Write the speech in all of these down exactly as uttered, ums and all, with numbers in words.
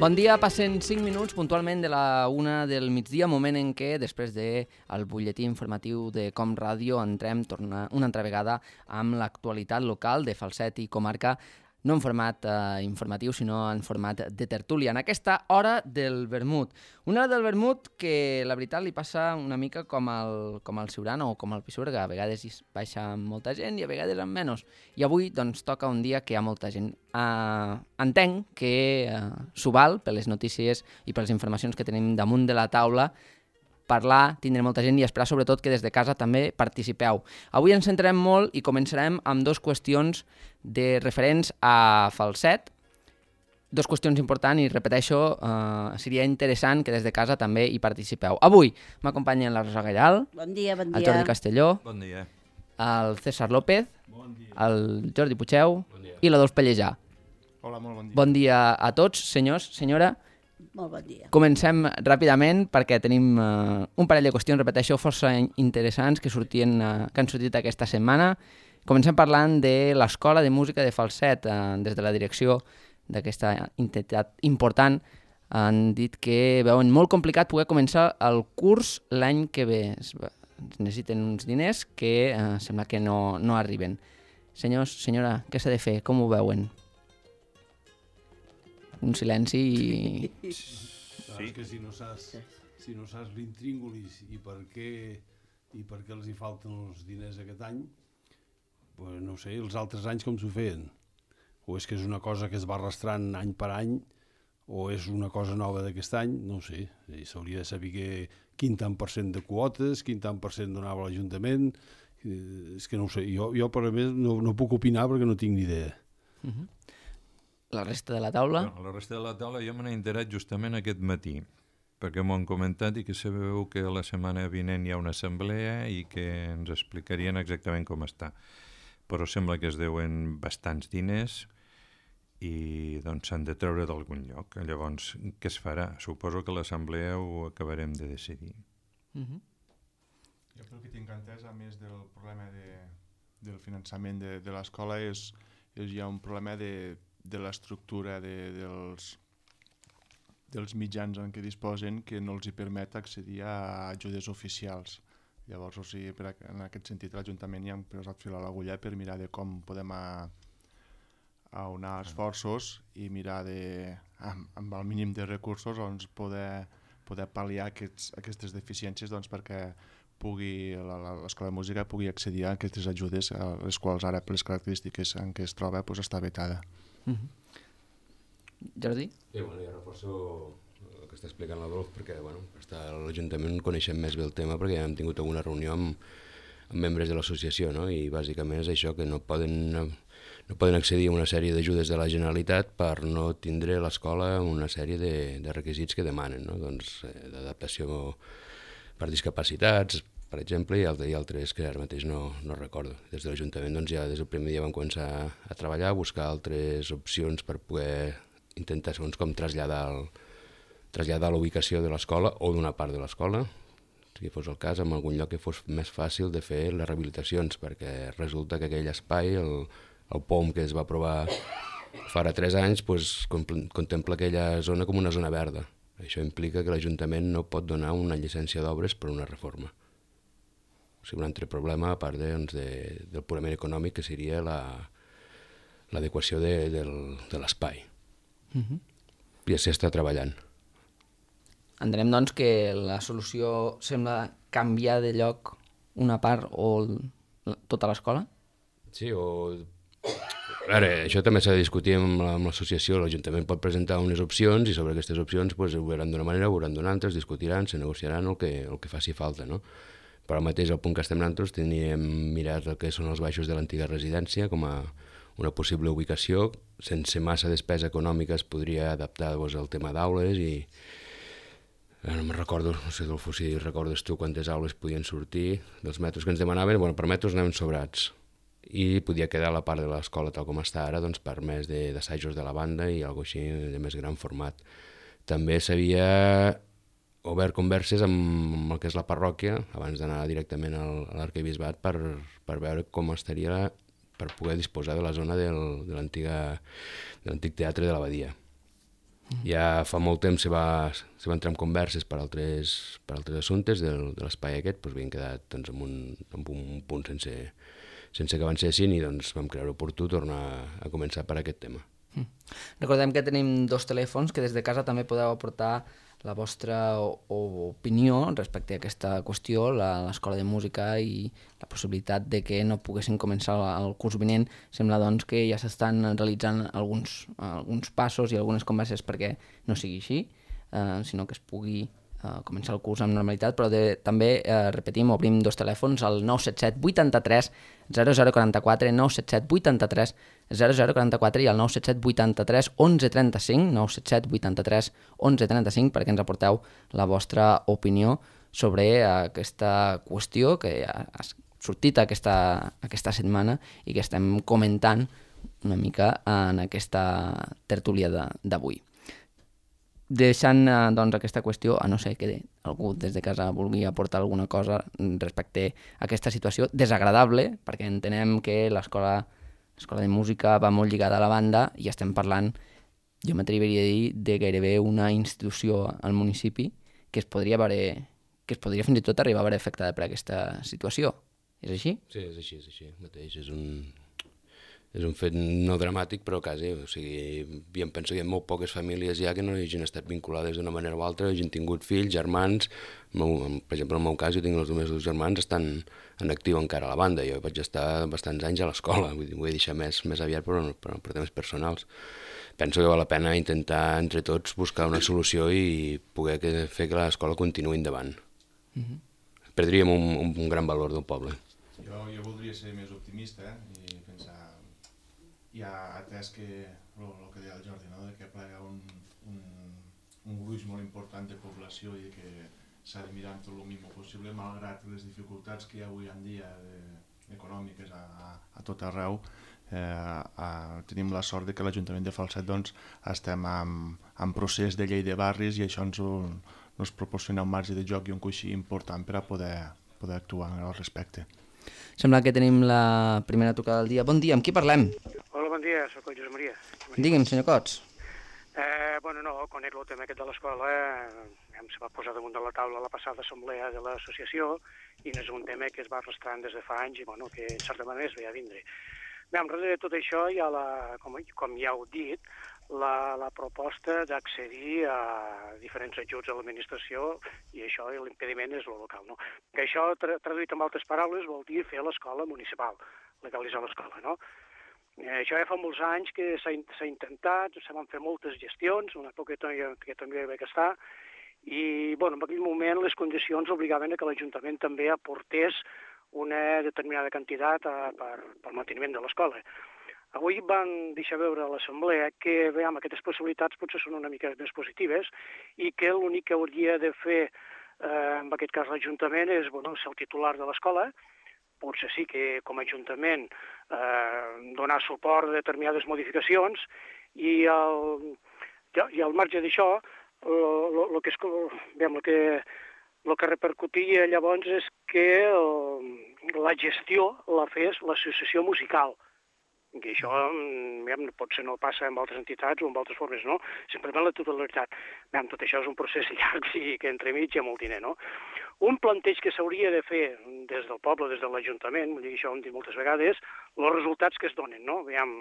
Bon dia, passen cinc minuts puntualment de la una del migdia, moment en què, després del butlletí informatiu de Com Ràdio, entrem torna, una altra vegada amb l'actualitat local de Falset i comarca, no en format eh, informatiu, sinó en format de tertúlia. En aquesta hora del vermut. Una hora del vermut que, la veritat, li passa una mica com el, com el Siurana o com el Pisuerga. A vegades hi baixa amb molta gent i a vegades amb menys. I avui, doncs, toca un dia que hi ha molta gent. Uh, entenc que uh, s'ho val, per les notícies i per les informacions que tenim damunt de la taula, parlar, tindre molta gent i esperar sobretot que des de casa també participeu. Avui ens centrarem molt i començarem amb dues qüestions de referents a Falset. Dos qüestions importants i, repeteixo, eh, seria interessant que des de casa també hi participeu. Avui m'acompanyen la Rosa Gallal, bon dia, bon dia. el Jordi Castelló, bon dia. el César López, bon dia. el Jordi Puigeu bon i l'Adolf Pellejà. Hola, molt bon dia. Bon dia a tots, senyors, senyora. Molt bon dia. Comencem ràpidament perquè tenim uh, un parell de qüestions, repeteixo, força interessants que, sortien, uh, que han sortit aquesta setmana. Comencem parlant de l'Escola de Música de Falset. Uh, des de la direcció d'aquesta entitat important han dit que veuen molt complicat poder començar el curs l'any que ve. Es necessiten uns diners que uh, sembla que no, no arriben. Senyors, senyora, què s'ha de fer? Com ho veuen? Un silenci i... Saps que si no saps, si no saps l'intríngulis i per què i per què els hi falten els diners aquest any, pues no sé, els altres anys com s'ho feien. O és que és una cosa que es va arrastrant any per any, o és una cosa nova d'aquest any, no ho sé. S'hauria de saber que, quin tant per cent de quotes, quin tant per cent donava l'Ajuntament, és que no ho sé. Jo, jo per a més, no, no puc opinar perquè no tinc ni idea. Uh-huh. La resta de la taula? No, la resta de la taula jo me n'he enterat justament aquest matí, perquè m'ho han comentat i que sabeu que la setmana vinent hi ha una assemblea i que ens explicarien exactament com està. Però sembla que es deuen bastants diners i doncs s'han de treure d'algun lloc. Llavors, què es farà? Suposo que l'assemblea ho acabarem de decidir. Uh-huh. Jo pel que tinc entès, a més del problema de, del finançament de, de l'escola, és, és hi ha un problema de de l'estructura de, dels, dels mitjans en què disposen que no els hi permet accedir a ajudes oficials. Llavors, o sigui, per, en aquest sentit, l'Ajuntament ja ha posat fil a l'agulla per mirar de com podem a, a unar esforços i mirar de, amb, amb el mínim de recursos doncs, poder, poder pal·liar aquests, aquestes deficiències doncs, perquè pugui l'Escola de Música pugui accedir a aquestes ajudes, a les quals ara, per les característiques en què es troba, doncs, està vetada. Uh-huh. Jordi? Sí, bueno, jo reforço el que està explicant l'Adolf perquè bueno, a l'Ajuntament coneixem més bé el tema perquè ja hem tingut alguna reunió amb, amb membres de l'associació, no? I bàsicament és això, que no poden, no poden accedir a una sèrie d'ajudes de la Generalitat per no tindre l'escola una sèrie de, de requisits que demanen, no? Doncs eh, d'adaptació per discapacitats, per exemple, i altres que ara mateix no, no recordo. Des de l'Ajuntament doncs, ja des del primer dia vam començar a treballar, a buscar altres opcions per poder intentar, segons com, traslladar, el, traslladar la ubicació de l'escola o d'una part de l'escola, si fos el cas, en algun lloc que fos més fàcil de fer les rehabilitacions, perquè resulta que aquell espai, el, el P O M que es va aprovar fa ara tres anys, doncs, contempla aquella zona com una zona verda. Això implica que l'Ajuntament no pot donar una llicència d'obres per una reforma. O sigui, un altre problema, a part de, doncs, de, del purament econòmic, que seria l'adequació la, de, del, de l'espai. Uh-huh. I s'hi està treballant. Entenem, doncs, que la solució sembla canviar de lloc una part o tota l'escola? Sí, o... Ara, això també s'ha de discutir amb l'associació. L'Ajuntament pot presentar unes opcions i sobre aquestes opcions pues, ho veuran d'una manera, ho veuran d'una altra, es discutiran, se negociaran el que, el que faci falta, no? Però al mateix, al punt que estem nosaltres, teníem mirat el que són els baixos de l'antiga residència com a una possible ubicació. Sense massa despesa econòmica es podria adaptar doncs, al tema d'aules i... No me'n recordo, no sé si recordes tu quantes aules podien sortir dels metres que ens demanaven. Bueno, per metres anàvem sobrats i podia quedar la part de l'escola tal com està ara doncs, per més d'assajos de la banda i alguna cosa així de més gran format. També s'havia obert converses amb el que és la parròquia abans d'anar directament a l'arquebisbat per, per veure com estaria per poder disposar de la zona del, de l'antic teatre de l'Abadia. Ja fa molt temps se va, se va entrar en converses per altres, per altres assumptes del, de l'espai aquest, doncs havien quedat doncs, en, un, en un punt sense, sense que avancessin i doncs, vam creure oportú tornar a començar per aquest tema. Mm. Recordem que tenim dos telèfons que des de casa també podeu aportar la vostra opinió respecte a aquesta qüestió, l'Escola de Música i la possibilitat de que no poguessin començar el curs vinent. Sembla doncs que ja s'estan realitzant alguns, alguns passos i algunes converses perquè no sigui així, eh, sinó que es pugui eh, començar el curs amb normalitat, però de, també, eh, repetim, obrim dos telèfons, el nou set set vuitanta-tres zero zero quaranta-quatre, nou set set vuitanta-tres zero zero quaranta-quatre i el nou set set vuitanta-tres onze trenta-cinc, nou set set vuitanta-tres onze trenta-cinc, perquè ens aporteu la vostra opinió sobre aquesta qüestió que ha sortit aquesta, aquesta setmana i que estem comentant una mica en aquesta tertúlia d'avui. Deixant doncs, aquesta qüestió, a no ser que algú des de casa vulgui aportar alguna cosa respecte a aquesta situació desagradable, perquè entenem que l'escola l'escola de música va molt lligada a la banda i estem parlant, jo m'atreviria a dir, de gairebé una institució al municipi que es podria haver, que es podria fins i tot arribar a veure afectada per aquesta situació. És així? Sí, és així, és així. Mateix és un... És un fet no dramàtic, però quasi. O sigui, em penso que hi ha molt poques famílies ja que no hagin estat vinculades d'una manera o altra, hagin tingut fills, germans. Per exemple, en el meu cas, jo tinc els meus dos germans, estan en actiu encara a la banda. Jo vaig estar bastants anys a l'escola, vull dir, m'ho he deixat més, més aviat per, per, per temes personals. Penso que val la pena intentar entre tots buscar una solució i poder que, fer que l'escola continuï endavant. Mm-hmm. Perdríem un, un, un gran valor del poble. Jo, jo voldria ser més optimista eh? i pensar... Ja atès que el que deia el Jordi, no? De que plega un, un, un gruix molt important de població i que s'ha de mirar tot el mínim possible, malgrat les dificultats que hi ha avui en dia de, econòmiques a, a, a tot arreu. Eh, a, tenim la sort de que l'Ajuntament de Falset doncs, estem en, en procés de llei de barris i això ens, ens proporciona un marge de joc i un coixí important per a poder, poder actuar al respecte. Sembla que tenim la primera tocada del dia. Bon dia, amb qui parlem? Hola, bon dia, soc el Josep Maria. Digui'm, senyor Cots. Eh, bueno, no, conec el tema aquest de l'escola, eh, se va posar damunt de la taula la passada assemblea de l'associació i no és un tema que es va arrastrant des de fa anys i bueno, que en certa manera es veia a vindre. Bé, en darrere de tot això hi ha, la, com, com ja heu dit, la, la proposta d'accedir a diferents ajuts a l'administració i això, l'impediment és el local. No? Que això, tra traduït en altres paraules, vol dir fer l'escola municipal, legalitzar l'escola, no? Eh, això ja fa molts anys que s'ha intentat, se van fer moltes gestions, una època que també hi vaig estar, i bueno, en aquell moment les condicions obligaven a que l'Ajuntament també aportés una determinada quantitat a, per, per manteniment de l'escola. Avui van deixar veure a l'Assemblea que veiem, aquestes possibilitats potser són una mica més positives i que l'únic que hauria de fer, eh, en aquest cas l'Ajuntament, és bueno, ser el titular de l'escola, potser sí que com a Ajuntament eh, donar suport a determinades modificacions i al, i al marge d'això, el que, és, veiem, que, que repercutia llavors és que el, la gestió la fes l'associació musical. I això veiem, potser no passa amb altres entitats o amb altres formes, no? Simplement la totalitat. Veiem, tot això és un procés llarg i que entremig hi ha molt diner, no? Un planteig que s'hauria de fer des del poble, des de l'Ajuntament, vull dir, això ho hem dit moltes vegades, els resultats que es donen, no? Veiem,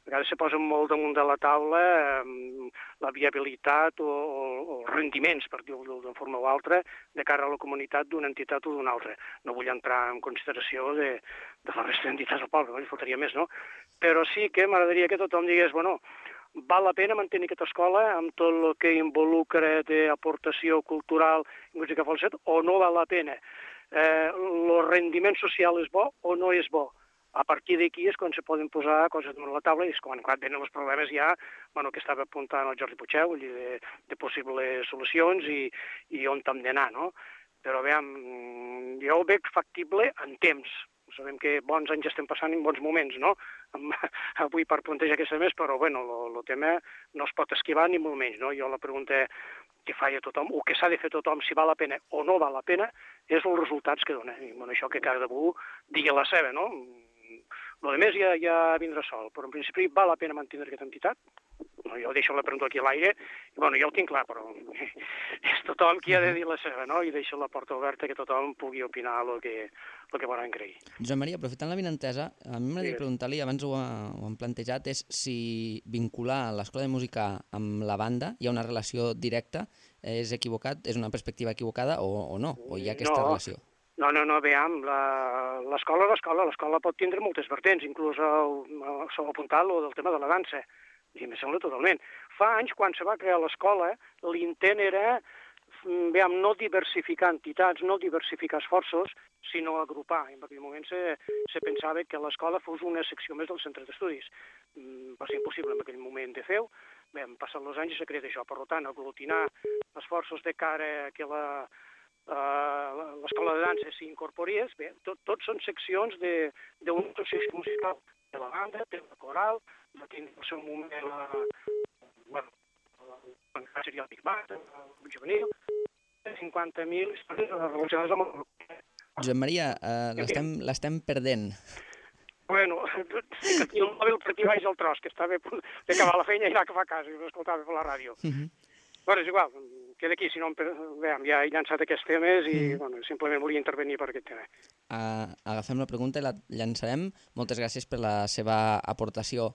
a vegades se posen molt damunt de la taula eh, la viabilitat o, o, o rendiments, per dir-ho d'una forma o altra, de cara a la comunitat d'una entitat o d'una altra. No vull entrar en consideració de, de la resta d'entitats del poble, no? Li faltaria més, no? Però sí que m'agradaria que tothom digués, bueno, val la pena mantenir aquesta escola amb tot el que involucra d'aportació cultural i música falset o no val la pena? Eh, el rendiment social és bo o no és bo? A partir d'aquí és quan se poden posar coses damunt la taula i és quan, quan venen els problemes ja, bueno, que estava apuntant el Jordi Puigdeu, de, de possibles solucions i, i on hem d'anar, no? Però veiem, jo ho veig factible en temps. Sabem que bons anys estem passant en bons moments, no? Avui per plantejar aquesta més, però bueno, el tema no es pot esquivar ni molt menys, no? Jo la pregunta que faig a tothom, o que s'ha de fer tothom, si val la pena o no val la pena, és els resultats que dona. I bueno, això que cadascú digui la seva, no? El de més ja, ja vindrà sol, però en principi val la pena mantenir aquesta entitat? bueno, jo deixo la pregunta aquí a l'aire, i bueno, jo ho tinc clar, però és tothom qui ha de dir la seva, no? I deixo la porta oberta que tothom pugui opinar el que, el que volen creir. Josep Maria, aprofitant la vinentesa, a mi m'agradaria preguntar-li, abans ho, ha, ho hem plantejat, és si vincular l'escola de música amb la banda hi ha una relació directa, és equivocat, és una perspectiva equivocada o, o no, o hi ha aquesta no. relació? No, no, no, veiem, l'escola és l'escola, l'escola pot tindre moltes vertents, inclús s'ha apuntat el del tema de la dansa, i em sembla totalment. Fa anys, quan se va crear l'escola, l'intent era, veiem, no diversificar entitats, no diversificar esforços, sinó agrupar. En aquell moment se, se pensava que l'escola fos una secció més del centre d'estudis. Va ser impossible en aquell moment de fer-ho. Bé, han passat els anys i s'ha creat això. Per tant, aglutinar esforços de cara a que la Uh, l'escola de dansa s'hi incorporés, bé, tot, tot són seccions d'una associació musical, de la banda, de la coral, va tenir el seu moment la, bueno, encara seria el Big Band, el juvenil, cinquanta mil històries relacionades amb el... Josep Maria, uh, l'estem perdent. Bueno, i el mòbil per aquí baix al tros, que estava a punt d'acabar la feina i anar cap a casa, i ho escoltava per la ràdio. Uh -huh. Bueno, és igual, queda aquí, si no, veiem, ja he llançat aquests temes i mm. bueno, simplement volia intervenir per aquest tema. Uh, agafem la pregunta i la llançarem. Moltes gràcies per la seva aportació.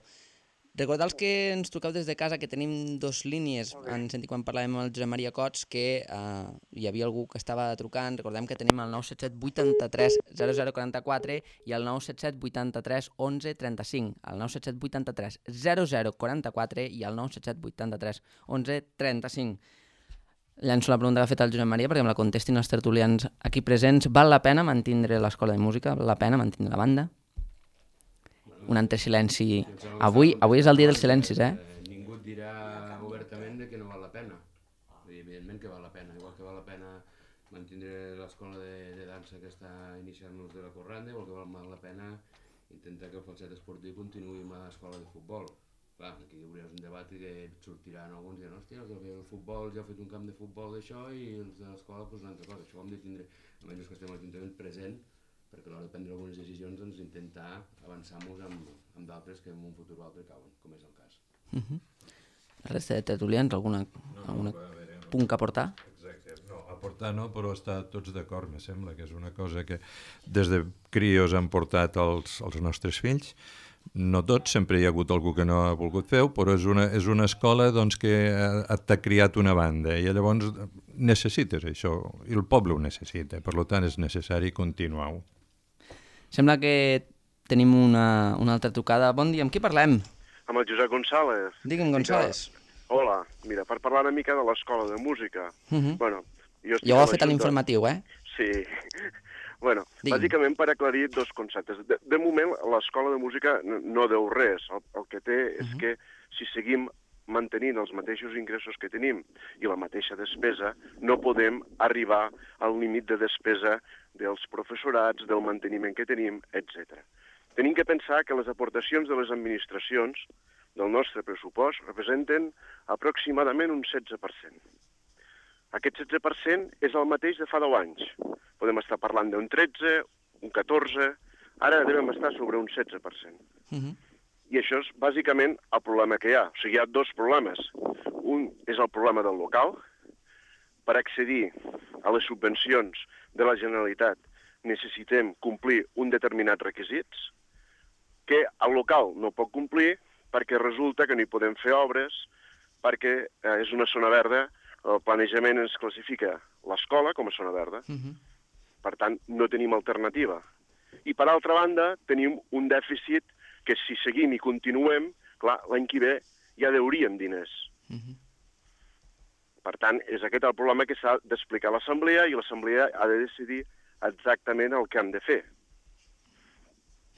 Recordar els que ens truqueu des de casa que tenim dos línies. Han sentit quan parlàvem amb el Josep Maria Cots que uh, hi havia algú que estava trucant. Recordem que tenim el nou set set vuitanta-tres zero zero quaranta-quatre i el nou set set vuitanta-tres onze trenta-cinc. El nou set set vuitanta-tres zero zero quaranta-quatre i el nou set set vuitanta-tres onze trenta-cinc. Llanço la pregunta que ha fet el Josep Maria perquè em la contestin els tertulians aquí presents. Val la pena mantindre l'escola de música? Val la pena mantindre la banda? Un entre silenci. Avui, avui és el dia dels silencis, eh? Ningú et dirà obertament que no val la pena. Evidentment que val la pena. Igual que val la pena mantindre l'escola de, de dansa que està iniciant-nos de la Corranda, igual que val la pena intentar que el falset esportiu continuï amb l'escola de futbol. Clar, aquí hauries un debat i que sortiran alguns i diran, hòstia, els del futbol ja heu fet un camp de futbol d'això i els de l'escola doncs una altra cosa. Això ho hem de tindre, almenys que estem a l'Ajuntament present, perquè a l'hora de prendre algunes decisions doncs intentar avançar-nos amb, amb d'altres que en un futur o altre cauen, com és el cas. Uh -huh. La resta de tertulians, alguna, no, alguna no, veure, no. punt que aportar? Exacte, no, aportar no, però estar tots d'acord, me sembla que és una cosa que des de crios han portat els, els nostres fills. No tots, sempre hi ha hagut algú que no ha volgut fer-ho, però és una, és una escola doncs, que t'ha criat una banda i llavors necessites això, i el poble ho necessita, per tant és necessari continuar-ho. Sembla que tenim una, una altra trucada. Bon dia, amb qui parlem? Amb el Josep González. Digue'm, González. Hola, mira, per parlar una mica de l'escola de música. Uh -huh. Bueno, jo ja ho ha fet a l'informatiu, eh? Sí. Bueno, Digue'm. Bàsicament per aclarir dos conceptes. De, de moment, l'escola de música no, no deu res. El, el que té és uh -huh. que si seguim mantenint els mateixos ingressos que tenim i la mateixa despesa, no podem arribar al límit de despesa dels professorats, del manteniment que tenim, etcètera. Tenim que pensar que les aportacions de les administracions del nostre pressupost representen aproximadament un setze per cent. Aquest setze per cent és el mateix de fa deu anys. Podem estar parlant d'un tretze, un catorze, ara devem estar sobre un setze per cent. Uh -huh. I això és bàsicament el problema que hi ha. O sigui, hi ha dos problemes. Un és el problema del local. Per accedir a les subvencions de la Generalitat necessitem complir un determinats requisits que el local no pot complir perquè resulta que no hi podem fer obres, perquè eh, és una zona verda, el planejament ens classifica l'escola com a zona verda. Uh-huh. Per tant, no tenim alternativa. I per altra banda, tenim un dèficit que si seguim i continuem, clar, l'any que ve ja deuríem diners. Uh-huh. Per tant, és aquest el problema que s'ha d'explicar a l'Assemblea i l'Assemblea ha de decidir exactament el que han de fer.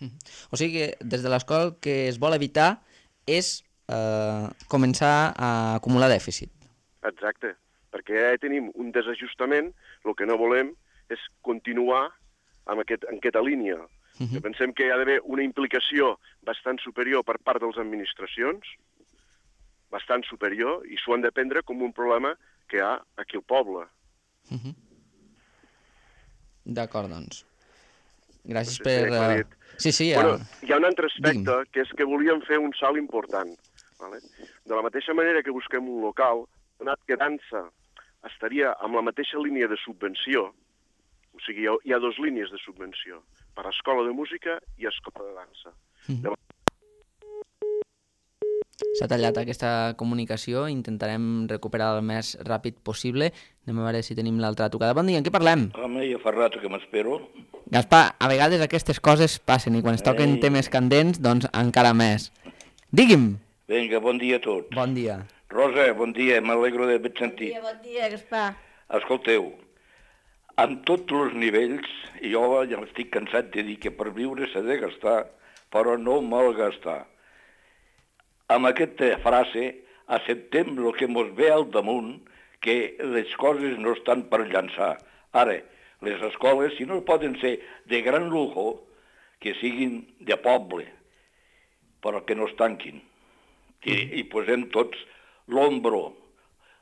Uh-huh. O sigui que des de l'escola el que es vol evitar és eh, començar a acumular dèficit. Exacte, perquè ja tenim un desajustament, el que no volem és continuar amb, aquest, en aquesta línia. Uh-huh. Pensem que hi ha d'haver una implicació bastant superior per part de les administracions, bastant superior, i s'ho han de prendre com un problema que hi ha aquí al poble. Uh-huh. D'acord, doncs. Gràcies no sé per... Si uh... Sí, sí. Ja... Bueno, hi ha un altre aspecte, Digui'm. Que és que volíem fer un salt important. Vale? De la mateixa manera que busquem un local, donat que dansa estaria amb la mateixa línia de subvenció, o sigui, hi ha, hi ha dues línies de subvenció, per a escola de música i escola de dansa. Mm. De... S'ha tallat aquesta comunicació, intentarem recuperar el més ràpid possible. Anem a veure si tenim l'altra trucada. Bon dia, en què parlem? Home, ja fa rato que m'espero. Gaspar, a vegades aquestes coses passen i quan es toquen Ei. temes candents, doncs encara més. Digui'm! Vinga, bon dia a tots. Bon dia. Rosa, bon dia, m'alegro d'haver sentit. Bon dia, bon dia, Gaspar. Escolteu, en tots els nivells, jo ja estic cansat de dir que per viure s'ha de gastar, però no malgastar. Amb aquesta frase acceptem el que mos ve al damunt, que les coses no estan per llançar. Ara, les escoles, si no poden ser de gran lujo, que siguin de poble, però que no es tanquin. I, i posem tots l'ombro,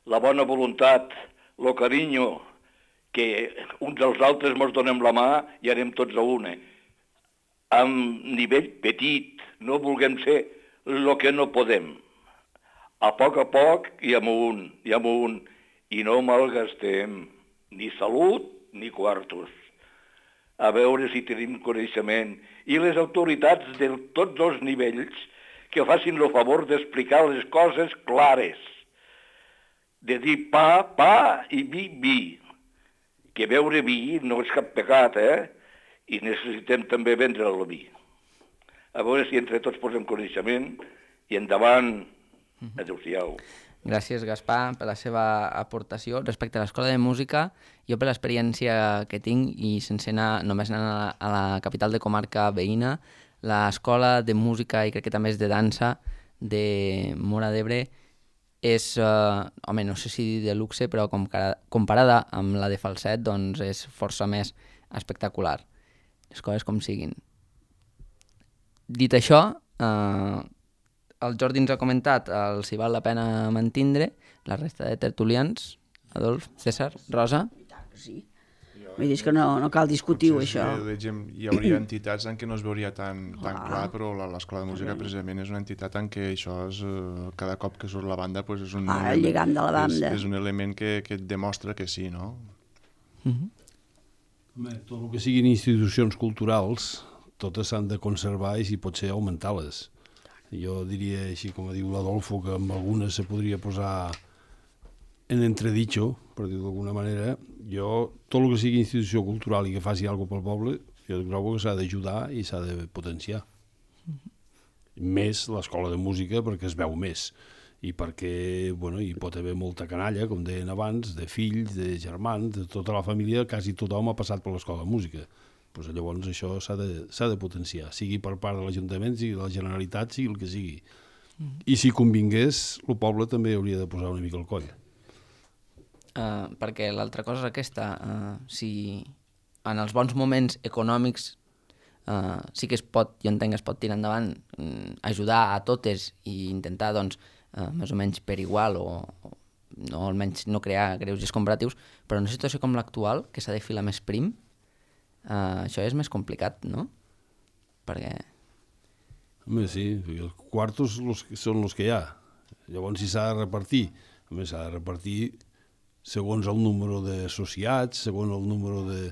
la bona voluntat, el carinyo, que uns als altres mos donem la mà i anem tots a una. Amb nivell petit, no vulguem ser el que no podem. A poc a poc i amunt, i amunt, i no malgastem ni salut ni quartos. A veure si tenim coneixement. I les autoritats de tots els nivells que facin el favor d'explicar les coses clares. De dir pa, pa i vi, vi. Que beure vi no és cap pecat, eh? I necessitem també vendre el vi. A veure si entre tots posem coneixement i endavant. Adéu-siau. Gràcies, Gaspar, per la seva aportació. Respecte a l'escola de música, jo per l'experiència que tinc, i sense anar, només anar a la, a la capital de comarca veïna, l'escola de música i crec que també és de dansa de Móra d'Ebre és, eh, home, no sé si de luxe, però comparada amb la de Falset, doncs és força més espectacular. Les coses com siguin. Dit això, eh, el Jordi ens ha comentat el si val la pena mantindre, la resta de tertulians, Adolf, César, Rosa... I tant que sí. Vull dir que no, no cal discutir-ho, això. Hi hauria entitats en què no es veuria tan, tan clar, però l'escola de música precisament és una entitat en què això és, cada cop que surt la banda, pues és, un ah, element, el lligam de la banda. És, és un element que, que et demostra que sí, no? Uh-huh. Home, tot el que siguin institucions culturals, totes s'han de conservar i si pot ser augmentar-les. Jo diria, així com diu l'Adolfo, que amb algunes se podria posar en entredicho, per dir-ho d'alguna manera. Jo, tot el que sigui institució cultural i que faci alguna cosa pel poble, jo trobo que s'ha d'ajudar i s'ha de potenciar. Mm-hmm. Més l'escola de música, perquè es veu més. I perquè, bueno, hi pot haver molta canalla, com deien abans, de fills, de germans, de tota la família, quasi tothom ha passat per l'escola de música. Pues llavors això s'ha de, s'ha de potenciar, sigui per part de l'Ajuntament, sigui de la Generalitat, sigui el que sigui. Mm-hmm. I si convingués, el poble també hauria de posar una mica el coll. Uh, perquè l'altra cosa és aquesta, uh, si en els bons moments econòmics uh, sí que es pot, jo entenc que es pot tirar endavant, um, ajudar a totes i intentar, doncs, uh, més o menys per igual o, o no, almenys no crear greuges comparatius, però en una situació com l'actual, que s'ha de filar més prim, uh, això és més complicat, no? Perquè... Home, sí, els quartos los, són els que hi ha. Llavors, si s'ha de repartir, home, s'ha de repartir segons el número d'associats, segons el número de,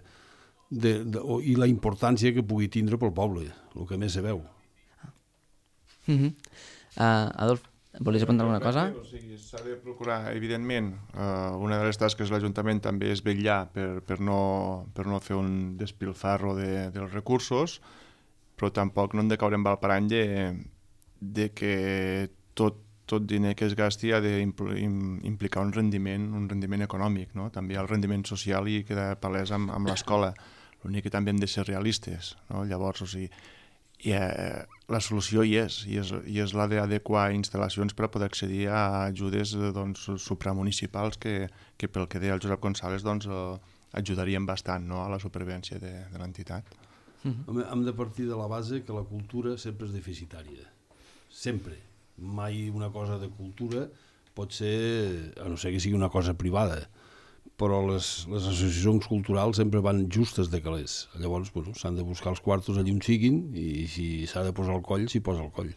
de, de, i la importància que pugui tindre pel poble, el que més se veu. Mm-hmm. uh, Adolf, volies apuntar alguna cosa? O sigui, s'ha de procurar, evidentment, uh, una de les tasques de l'Ajuntament també és vetllar per, per, no, per no fer un despilfarro de, dels recursos, però tampoc no hem de caure en el parany de, de que tot tot diner que es gasti ha d'implicar un rendiment, un rendiment econòmic, no? També hi ha el rendiment social i queda palès amb, amb l'escola. L'únic que també hem de ser realistes, no? Llavors, o sigui, i, eh, la solució hi és, i és, i és la d'adequar instal·lacions per a poder accedir a ajudes doncs, supramunicipals que, que pel que deia el Josep González doncs, eh, ajudarien bastant, no? A la supervivència de, de l'entitat. Mm-hmm. Hem de partir de la base que la cultura sempre és deficitària. Sempre. Mai una cosa de cultura pot ser, a no ser que sigui una cosa privada, però les, les associacions culturals sempre van justes de calés. Llavors, bueno, s'han de buscar els quartos allà on siguin i si s'ha de posar el coll, s'hi posa el coll.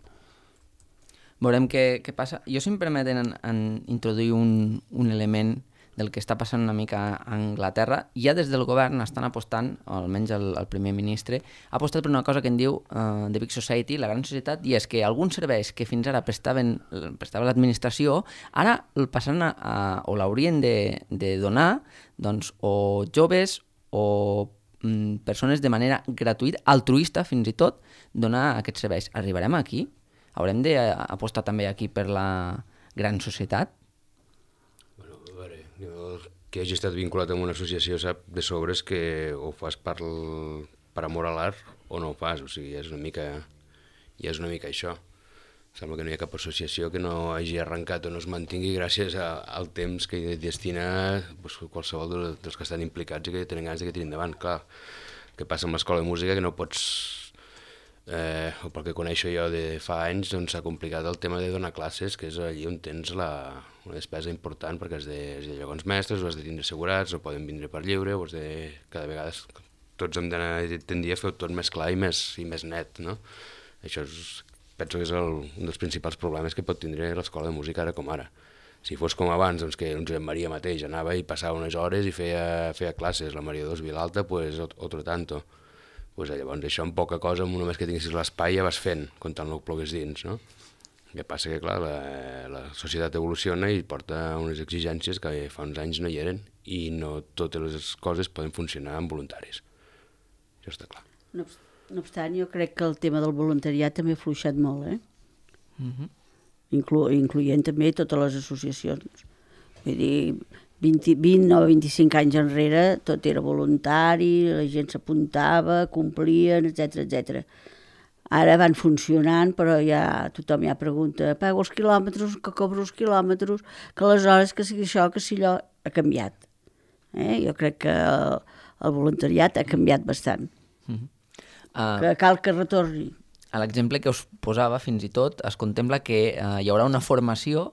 veurem què, què passa. Jo, si em permeten en, en introduir un, un element del que està passant una mica a Anglaterra, ja des del govern estan apostant, o almenys el, el primer ministre, ha apostat per una cosa que en diu uh, The Big Society, la gran societat, i és que alguns serveis que fins ara prestaven, prestava l'administració, ara el passaran a, a, o l'haurien de, de donar doncs, o joves o mm, persones de manera gratuïta, altruista fins i tot, donar aquests serveis. Arribarem aquí? Haurem d'apostar també aquí per la gran societat? Jo, que hagi estat vinculat amb una associació sap de sobres que o fas per, per amor a l'art o no ho fas, o sigui, és una mica, ja és una mica això. Sembla que no hi ha cap associació que no hagi arrencat o no es mantingui gràcies a, al temps que hi destina pues, qualsevol de, dels que estan implicats i que tenen ganes de que tirin endavant. Clar, que passa amb l'escola de música que no pots, eh, o pel que coneixo jo de fa anys, doncs s'ha complicat el tema de donar classes, que és allí on tens la, una despesa important perquè has de, has de llogar uns mestres, o has de tindre assegurats, o poden vindre per lliure, o has de... Cada vegada tots hem d'anar tendir a fer tot més clar i més, i més net, no? Això és, penso que és el, un dels principals problemes que pot tindre l'escola de música ara com ara. Si fos com abans, doncs que doncs, Maria mateix anava i passava unes hores i feia, feia classes, la Maria dos Vilalta, pues, otro tanto. Pues, llavors això amb poca cosa, amb només que tinguessis l'espai ja vas fent, comptant el plogués dins, no? El que passa que, clar, la, la societat evoluciona i porta unes exigències que fa uns anys no hi eren i no totes les coses poden funcionar amb voluntaris. Això està clar. No, no obstant, jo crec que el tema del voluntariat també ha fluixat molt, eh? Mm-hmm. Inclu incloent també totes les associacions. Vull dir, vint, vint o vint-i-cinc anys enrere tot era voluntari, la gent s'apuntava, complien, etcètera, etcètera. Ara van funcionant, però ja tothom ja pregunta, pago els quilòmetres, que cobro els quilòmetres, que aleshores que sigui això, que si allò ha canviat. Eh? Jo crec que el, el voluntariat ha canviat bastant. Mm-hmm. uh, Que cal que retorni. A l'exemple que us posava, fins i tot, es contempla que uh, hi haurà una formació,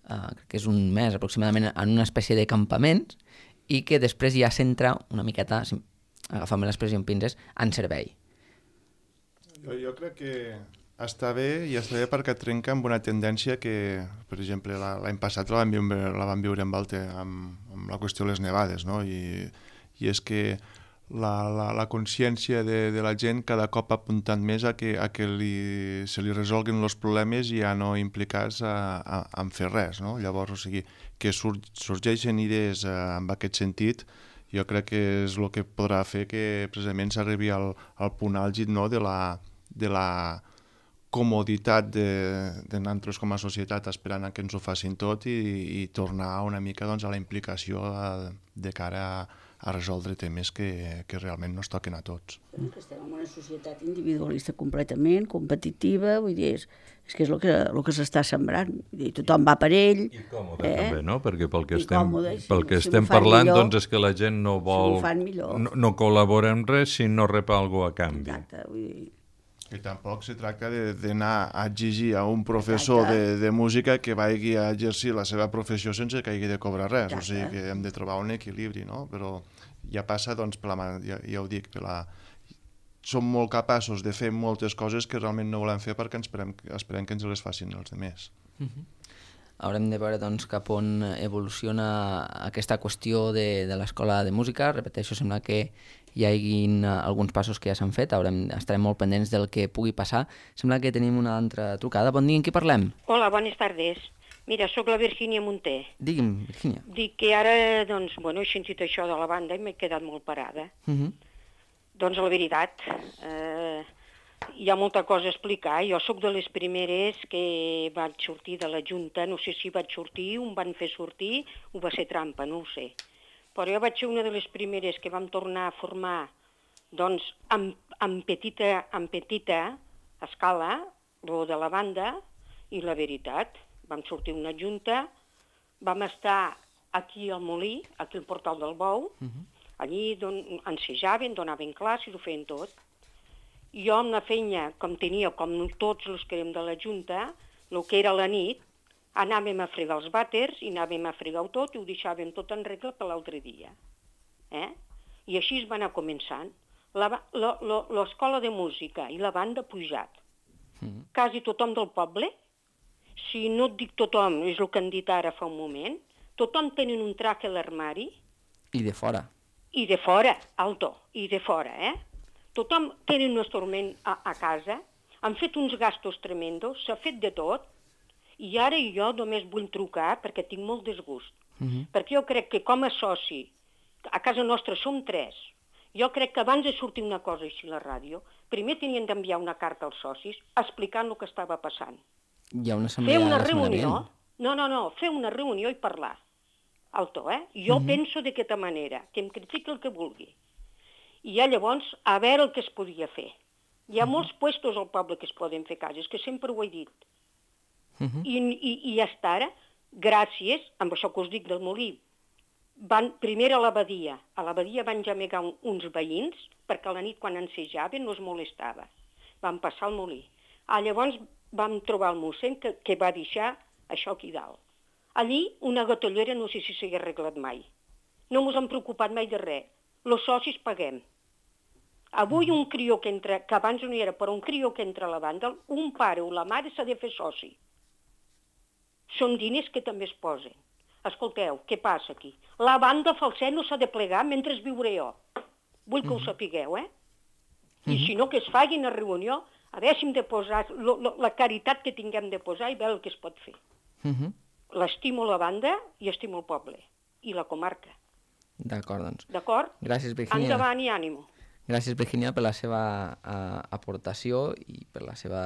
uh, que és un mes aproximadament, en una espècie de campaments, i que després ja s'entra una miqueta, si agafant l'expressió en pinces, en servei. Jo, jo crec que està bé i està bé perquè trenca amb una tendència que, per exemple, l'any passat la vam viure, la vam viure amb, el, amb, amb la qüestió de les nevades, no? I, i és que la, la, la consciència de, de la gent cada cop ha apuntat més a que, a que li, se li resolguin els problemes i ja no implicats a, a, a fer res, no? Llavors, o sigui, que sur, sorgeixen idees eh, en aquest sentit, jo crec que és el que podrà fer que precisament s'arribi al, al punt àlgid, no? de la de la comoditat de, de nosaltres com a societat esperant a que ens ho facin tot i, i tornar una mica doncs, a la implicació a, de cara a, a resoldre temes que, que realment no es toquen a tots. Que estem en una societat individualista completament, competitiva, vull dir, és, és que és el que, el que s'està sembrant. Vull dir, tothom va per ell. I còmode eh? també, no? Perquè pel que I estem, còmode, si, pel que si estem parlant millor, doncs és que la gent no vol... Si no, no col·labora en res si no rep alguna cosa a canvi. Exacte, vull dir... I tampoc se tracta d'anar a exigir a un professor de, de música que vagi a exercir la seva professió sense que hagi de cobrar res. Exacte. O sigui que hem de trobar un equilibri, no? Però ja passa, doncs, per la, ja, ja ho dic, per la... som molt capaços de fer moltes coses que realment no volem fer perquè ens esperem, esperem que ens les facin els altres. Mm-hmm. Haurem de veure doncs, cap on evoluciona aquesta qüestió de, de l'escola de música. Repeteixo, sembla que hi hagin alguns passos que ja s'han fet, haurem, estarem molt pendents del que pugui passar. Sembla que tenim una altra trucada. Bon dia, en qui parlem? Hola, bones tardes. Mira, sóc la Virgínia Munté. Digui'm, Virgínia. Dic que ara, doncs, bueno, he sentit això de la banda i m'he quedat molt parada. Uh-huh. Doncs la veritat, eh, hi ha molta cosa a explicar. Jo sóc de les primeres que vaig sortir de la Junta, no sé si vaig sortir, un van fer sortir, ho va ser trampa, no ho sé. Però jo vaig ser una de les primeres que vam tornar a formar doncs, en, en, petita, en petita escala, lo de la banda, i la veritat, vam sortir una junta, vam estar aquí al Molí, aquí al Portal del Bou, uh-huh. Allí don, ensejaven, donaven classes, ho feien tot. I jo amb la feina, com tenia, com tots els que érem de la junta, el que era la nit, anàvem a fregar els vàters i anàvem a fregar-ho tot i ho deixàvem tot en regla per l'altre dia. Eh? I així es va anar començant. L'escola de música i la banda pujat. Mm. Quasi tothom del poble si no et dic tothom, és el que han dit ara fa un moment, tothom tenen un traje a l'armari. I de fora. I de fora, alto, i de fora, eh? Tothom tenen un estorment a, a casa, han fet uns gastos tremendos, s'ha fet de tot, i ara jo només vull trucar perquè tinc molt desgust. Uh-huh. Perquè jo crec que com a soci, a casa nostra som tres, jo crec que abans de sortir una cosa així a la ràdio, primer tenien d'enviar una carta als socis explicant el que estava passant. Hi ha una assemblea fer una la setmana reunió, vinent. no, no, no, fer una reunió i parlar. Alto, eh? Jo uh-huh. penso d'aquesta manera, que em critiqui el que vulgui. I ja llavors, a veure el que es podia fer. Hi ha uh-huh. molts puestos al poble que es poden fer cases, que sempre ho he dit. Uh-huh. I, i, I hasta ara, gràcies, amb això que us dic del molí, van primer a l'abadia. A l'abadia van gemegar un, uns veïns, perquè a la nit quan ensejaven no es molestava. Van passar al molí. Ah, llavors vam trobar el mossèn que, que va deixar això aquí dalt. Allí una gatollera no sé si s'hi ha arreglat mai. No ens hem preocupat mai de res. Els socis paguem. Avui un crió que entra, que abans no hi era, però un crió que entra a la banda, un pare o la mare s'ha de fer soci. Són diners que també es posen. Escolteu, què passa aquí? La banda falset no s'ha de plegar mentre viuré jo. Vull que ho sapigueu, eh? I si no, que es facin a reunió, a veure si hem de posar lo, lo, la caritat que tinguem de posar i veure el que es pot fer. Uh-huh. L'estimo la banda i estimo el poble. I la comarca. D'acord, doncs. D'acord? Gràcies, Virginia. Endavant i ànimo. Gràcies, Virginia, per la seva uh, aportació i per la seva,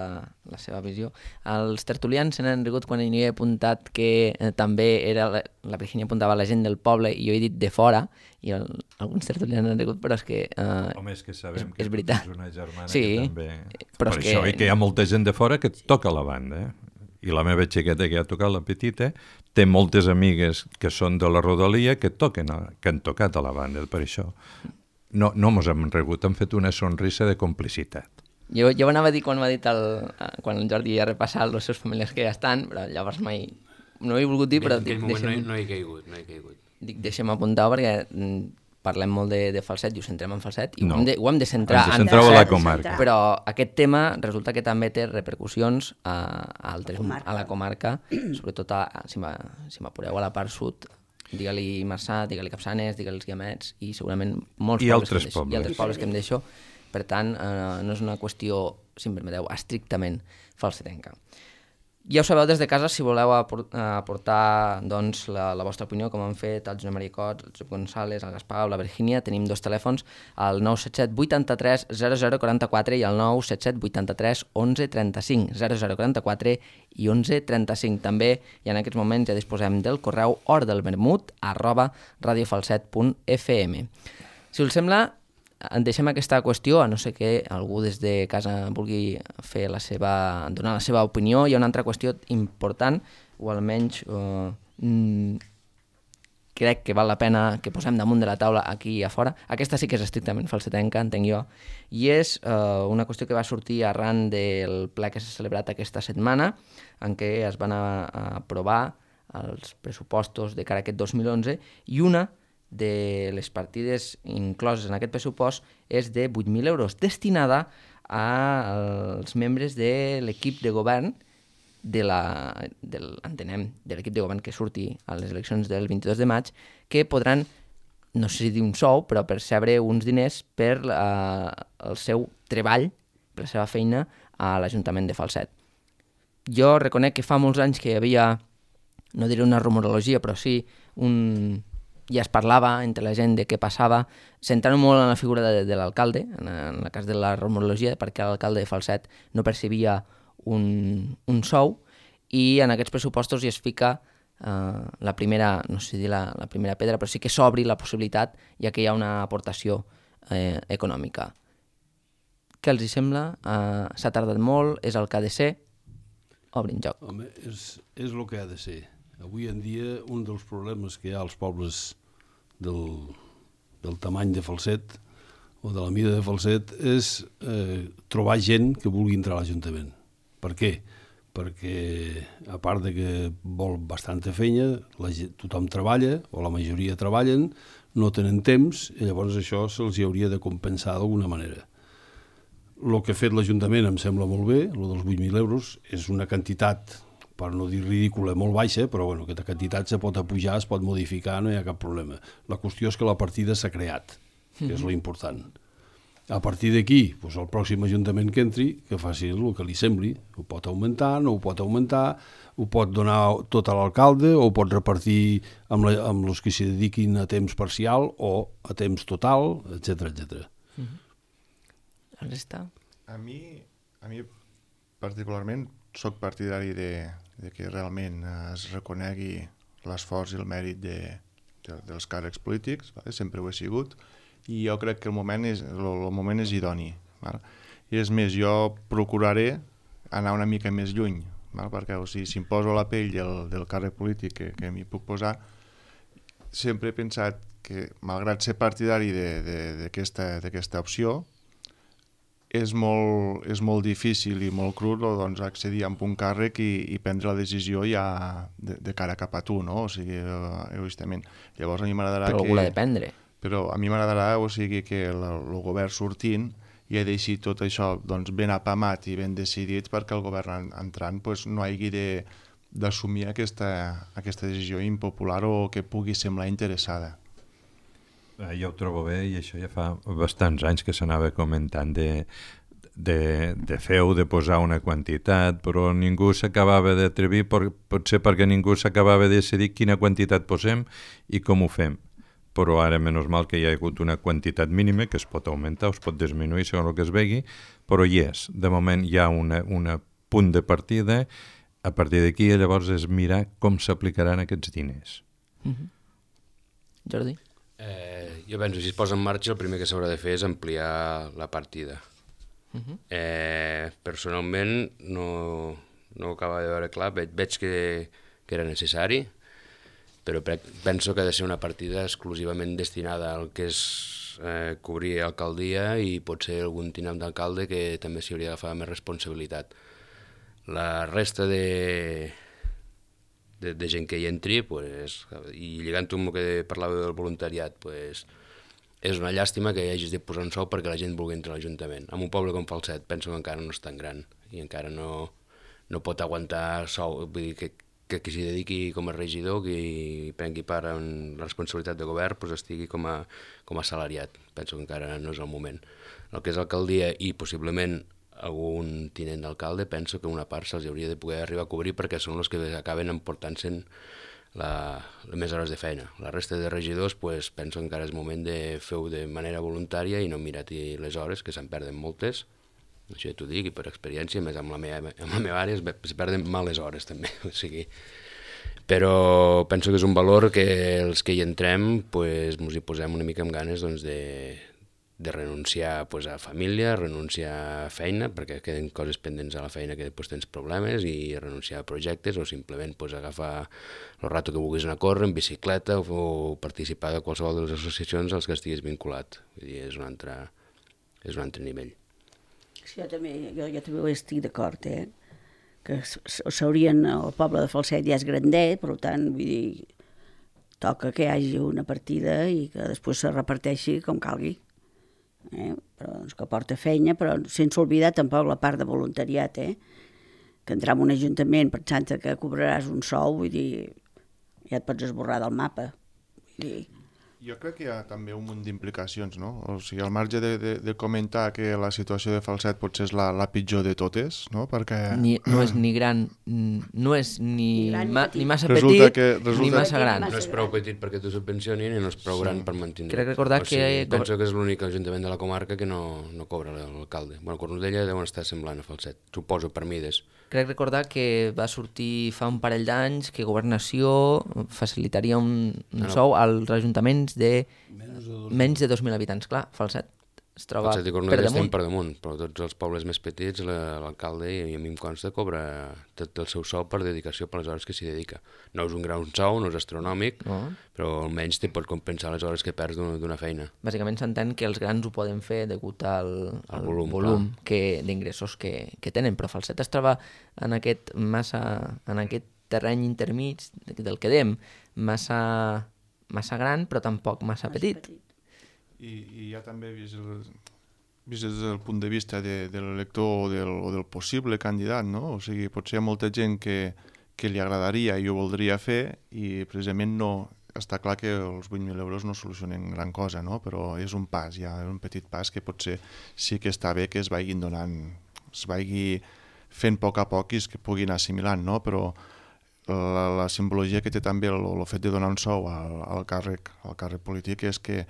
la seva visió. Els tertulians se n'han rigut quan hi he apuntat que eh, també era la, la Virginia apuntava la gent del poble i jo he dit de fora, i el, alguns tertulians han rigut, però és que uh, Home, és que sabem és, que és veritat. és una germana sí, que també... Però per és això, que... i que hi ha molta gent de fora que toca la banda, eh? I la meva xiqueta, que ha tocat la petita, té moltes amigues que són de la rodalia que toquen, a, que han tocat a la banda, per això. No, no mos hem regut, hem fet una sonrisa de complicitat. Jo, jo anava a dir quan m'ha dit el, quan el Jordi ha repassat els seus familiars que ja estan, però llavors mai... No ho he volgut dir, però... En aquell moment deixem, no, he, no he caigut, no he caigut. Dic, deixem apuntar perquè parlem molt de, de falset i ho centrem en falset i no. ho, hem de, ho hem de centrar en falset, la comarca. Però aquest tema resulta que també té repercussions a, a, altres, a la comarca, sobretot a, si m'apureu a la part sud, digue-li Marçà, digue-li Capçanes, digue-li els Guiamets i segurament molts I pobles, altres que pobles. I altres pobles que em deixo. Per tant, eh, no és una qüestió, si em permeteu, estrictament falsetenca. Ja ho sabeu des de casa, si voleu aportar doncs, la, la vostra opinió, com han fet el Josep Maria Cots, el Josep González, el Gaspar o la Virginia, tenim dos telèfons, el nou set set vuitanta-tres zero zero quaranta-quatre i el nou set set vuitanta-tres onze trenta-cinc, zero zero quaranta-quatre i onze trenta-cinc. També, i en aquests moments ja disposem del correu hordelvermut arroba radiofalset punt f m. Si us sembla, en deixem aquesta qüestió, a no ser que algú des de casa vulgui fer la seva, donar la seva opinió. Hi ha una altra qüestió important, o almenys eh, mm, crec que val la pena que posem damunt de la taula aquí i a fora. Aquesta sí que és estrictament falsetenca, entenc jo, i és eh, una qüestió que va sortir arran del ple que s'ha celebrat aquesta setmana, en què es van a, a aprovar els pressupostos de cara a aquest dos mil onze, i una de les partides incloses en aquest pressupost és de vuit mil euros, destinada als membres de l'equip de govern de la, del, entenem, de l'equip de govern que surti a les eleccions del vint-i-dos de maig, que podran, no sé si dir un sou, però percebre uns diners per uh, el seu treball, per la seva feina a l'Ajuntament de Falset. Jo reconec que fa molts anys que hi havia, no diré una rumorologia, però sí un... ja es parlava entre la gent de què passava, centrant molt en la figura de, de l'alcalde, en, en el cas de la rumorologia, perquè l'alcalde de Falset no percebia un, un sou, i en aquests pressupostos ja es fica eh, la primera, no sé si dir la, la primera pedra, però sí que s'obri la possibilitat, ja que hi ha una aportació eh, econòmica. Què els hi sembla? Eh, s'ha tardat molt, és el que ha de ser, obrin joc. Home, és, és el que ha de ser. Avui en dia, un dels problemes que hi ha als pobles del, del tamany de Falset o de la mida de Falset és eh, trobar gent que vulgui entrar a l'Ajuntament. Per què? Perquè, a part de que vol bastanta feina, la, tothom treballa, o la majoria treballen, no tenen temps, i llavors això se'ls hauria de compensar d'alguna manera. El que ha fet l'Ajuntament em sembla molt bé, el dels vuit mil euros, és una quantitat per no dir ridícula, molt baixa, però bueno, aquesta quantitat se pot apujar, es pot modificar, no hi ha cap problema. La qüestió és que la partida s'ha creat, que és l'important. A partir d'aquí, doncs el pròxim ajuntament que entri, que faci el que li sembli. Ho pot augmentar, no ho pot augmentar, ho pot donar tot a l'alcalde, o ho pot repartir amb, la, amb els que s'hi dediquin a temps parcial o a temps total, etcètera, etcètera. La resta? A mi, a mi particularment, sóc partidari de, de que realment es reconegui l'esforç i el mèrit de, de, dels càrrecs polítics, vale? Sempre ho he sigut, i jo crec que el moment és, el, el moment és idoni. Vale? I és més, jo procuraré anar una mica més lluny, vale? Perquè o sigui, si em poso a la pell del, del càrrec polític que, que m'hi puc posar, sempre he pensat que, malgrat ser partidari d'aquesta opció, és molt, és molt difícil i molt crut doncs, accedir a un càrrec i, i prendre la decisió ja de, de cara cap a tu, no? O sigui, egoistament. Llavors a mi m'agradarà que... Però algú l'ha de prendre. Però a mi m'agradarà, o sigui, que el, el govern sortint ja deixi tot això doncs, ben apamat i ben decidit perquè el govern entrant doncs, no hagi d'assumir aquesta, aquesta decisió impopular o que pugui semblar interessada. Jo ho trobo bé i això ja fa bastants anys que s'anava comentant de, de, de fer-ho, de posar una quantitat, però ningú s'acabava d'atrevir, potser perquè ningú s'acabava de decidir quina quantitat posem i com ho fem. Però ara, menys mal que hi ha hagut una quantitat mínima que es pot augmentar o es pot disminuir segons el que es vegi, però hi és. De moment hi ha un punt de partida, a partir d'aquí llavors és mirar com s'aplicaran aquests diners. Mm-hmm. Jordi? Eh, jo penso, si es posa en marxa, el primer que s'haurà de fer és ampliar la partida. Uh-huh. eh, personalment no, no ho acaba de veure clar, veig, veig que, que era necessari, però penso que ha de ser una partida exclusivament destinada al que és eh, cobrir alcaldia i potser algun tinent d'alcalde que també s'hi hauria d'agafar més responsabilitat. La resta de... De, de gent que hi entri, pues, i lligant-ho amb el que parlava del voluntariat, pues, és una llàstima que hi hagis de posar un sou perquè la gent vulgui entrar a l'Ajuntament. En un poble com Falset penso que encara no és tan gran i encara no, no pot aguantar sou, vull dir que, que qui s'hi dediqui com a regidor, qui prengui part en la responsabilitat de govern, pues, estigui com a, com a assalariat. Penso que encara no és el moment. El que és alcaldia i possiblement algun tinent d'alcalde, penso que una part se'ls hauria de poder arribar a cobrir perquè són els que acaben emportant-se'n les més hores de feina. La resta de regidors, pues, penso que encara és moment de fer-ho de manera voluntària i no mirar-hi les hores, que se'n perden moltes. Això ja t'ho dic, i per experiència, més amb la meva, amb la meva àrea, es perden males hores també. O sigui, però penso que és un valor que els que hi entrem pues, ens hi posem una mica amb ganes doncs, de de renunciar pues, a família, renunciar a feina, perquè queden coses pendents a la feina que després tens problemes, i renunciar a projectes, o simplement pues, agafar el rato que vulguis anar a córrer en bicicleta o, o participar de qualsevol de les associacions als que estiguis vinculat. Vull dir, és un altre, és un altre nivell. Sí, jo també, jo, jo també ho estic d'acord, eh? Que s'haurien, el poble de Falset ja és grandet, per tant, vull dir, toca que hi hagi una partida i que després se reparteixi com calgui. Eh? Però, doncs, que porta feina, però sense oblidar tampoc la part de voluntariat, eh? Que entrar en un ajuntament pensant que cobraràs un sou, vull dir, ja et pots esborrar del mapa. Vull dir... Jo crec que hi ha també un munt d'implicacions, no? O sigui, al marge de, de, de comentar que la situació de Falset potser és la, la pitjor de totes, no? Perquè... Ni, no és ni gran, no és ni, ni, ma, ni massa resulta petit, que, resulta... ni massa gran. No és prou petit perquè t'ho subvencionin i no és prou sí. gran per mantenir. Crec recordar o sigui, que... Penso que és l'únic ajuntament de la comarca que no, no cobra l'alcalde. Bueno, Cornudella deuen estar semblant a Falset, suposo per mides. Crec recordar que va sortir fa un parell d'anys que Governació facilitaria un, un no. sou als ajuntaments de menys de dos mil habitants. Clar, Falset es troba Falset i per Cornudella damunt. estem per damunt, però tots els pobles més petits, l'alcalde, i a mi em consta, cobra tot el seu sou per dedicació per les hores que s'hi dedica. No és un gran sou, no és astronòmic, no. però almenys te pot compensar les hores que perds d'una feina. Bàsicament s'entén que els grans ho poden fer degut al, al volum, volum d'ingressos que, que tenen, però Falset es troba en aquest, massa, en aquest terreny intermig del que dèiem, massa, massa gran però tampoc massa petit. petit. I, i ja també vist, el, vist des del punt de vista de, de l'elector o del, o del possible candidat, no? O sigui, potser hi ha molta gent que, que li agradaria i ho voldria fer, i precisament no, està clar que els vuit mil euros no solucionen gran cosa, no? Però és un pas, ja és un petit pas que potser sí que està bé que es vagin donant, es vagi fent a poc a poc i es que puguin assimilant, no? Però la, la simbologia que té també el, el fet de donar un sou al, al, càrrec, al càrrec polític és que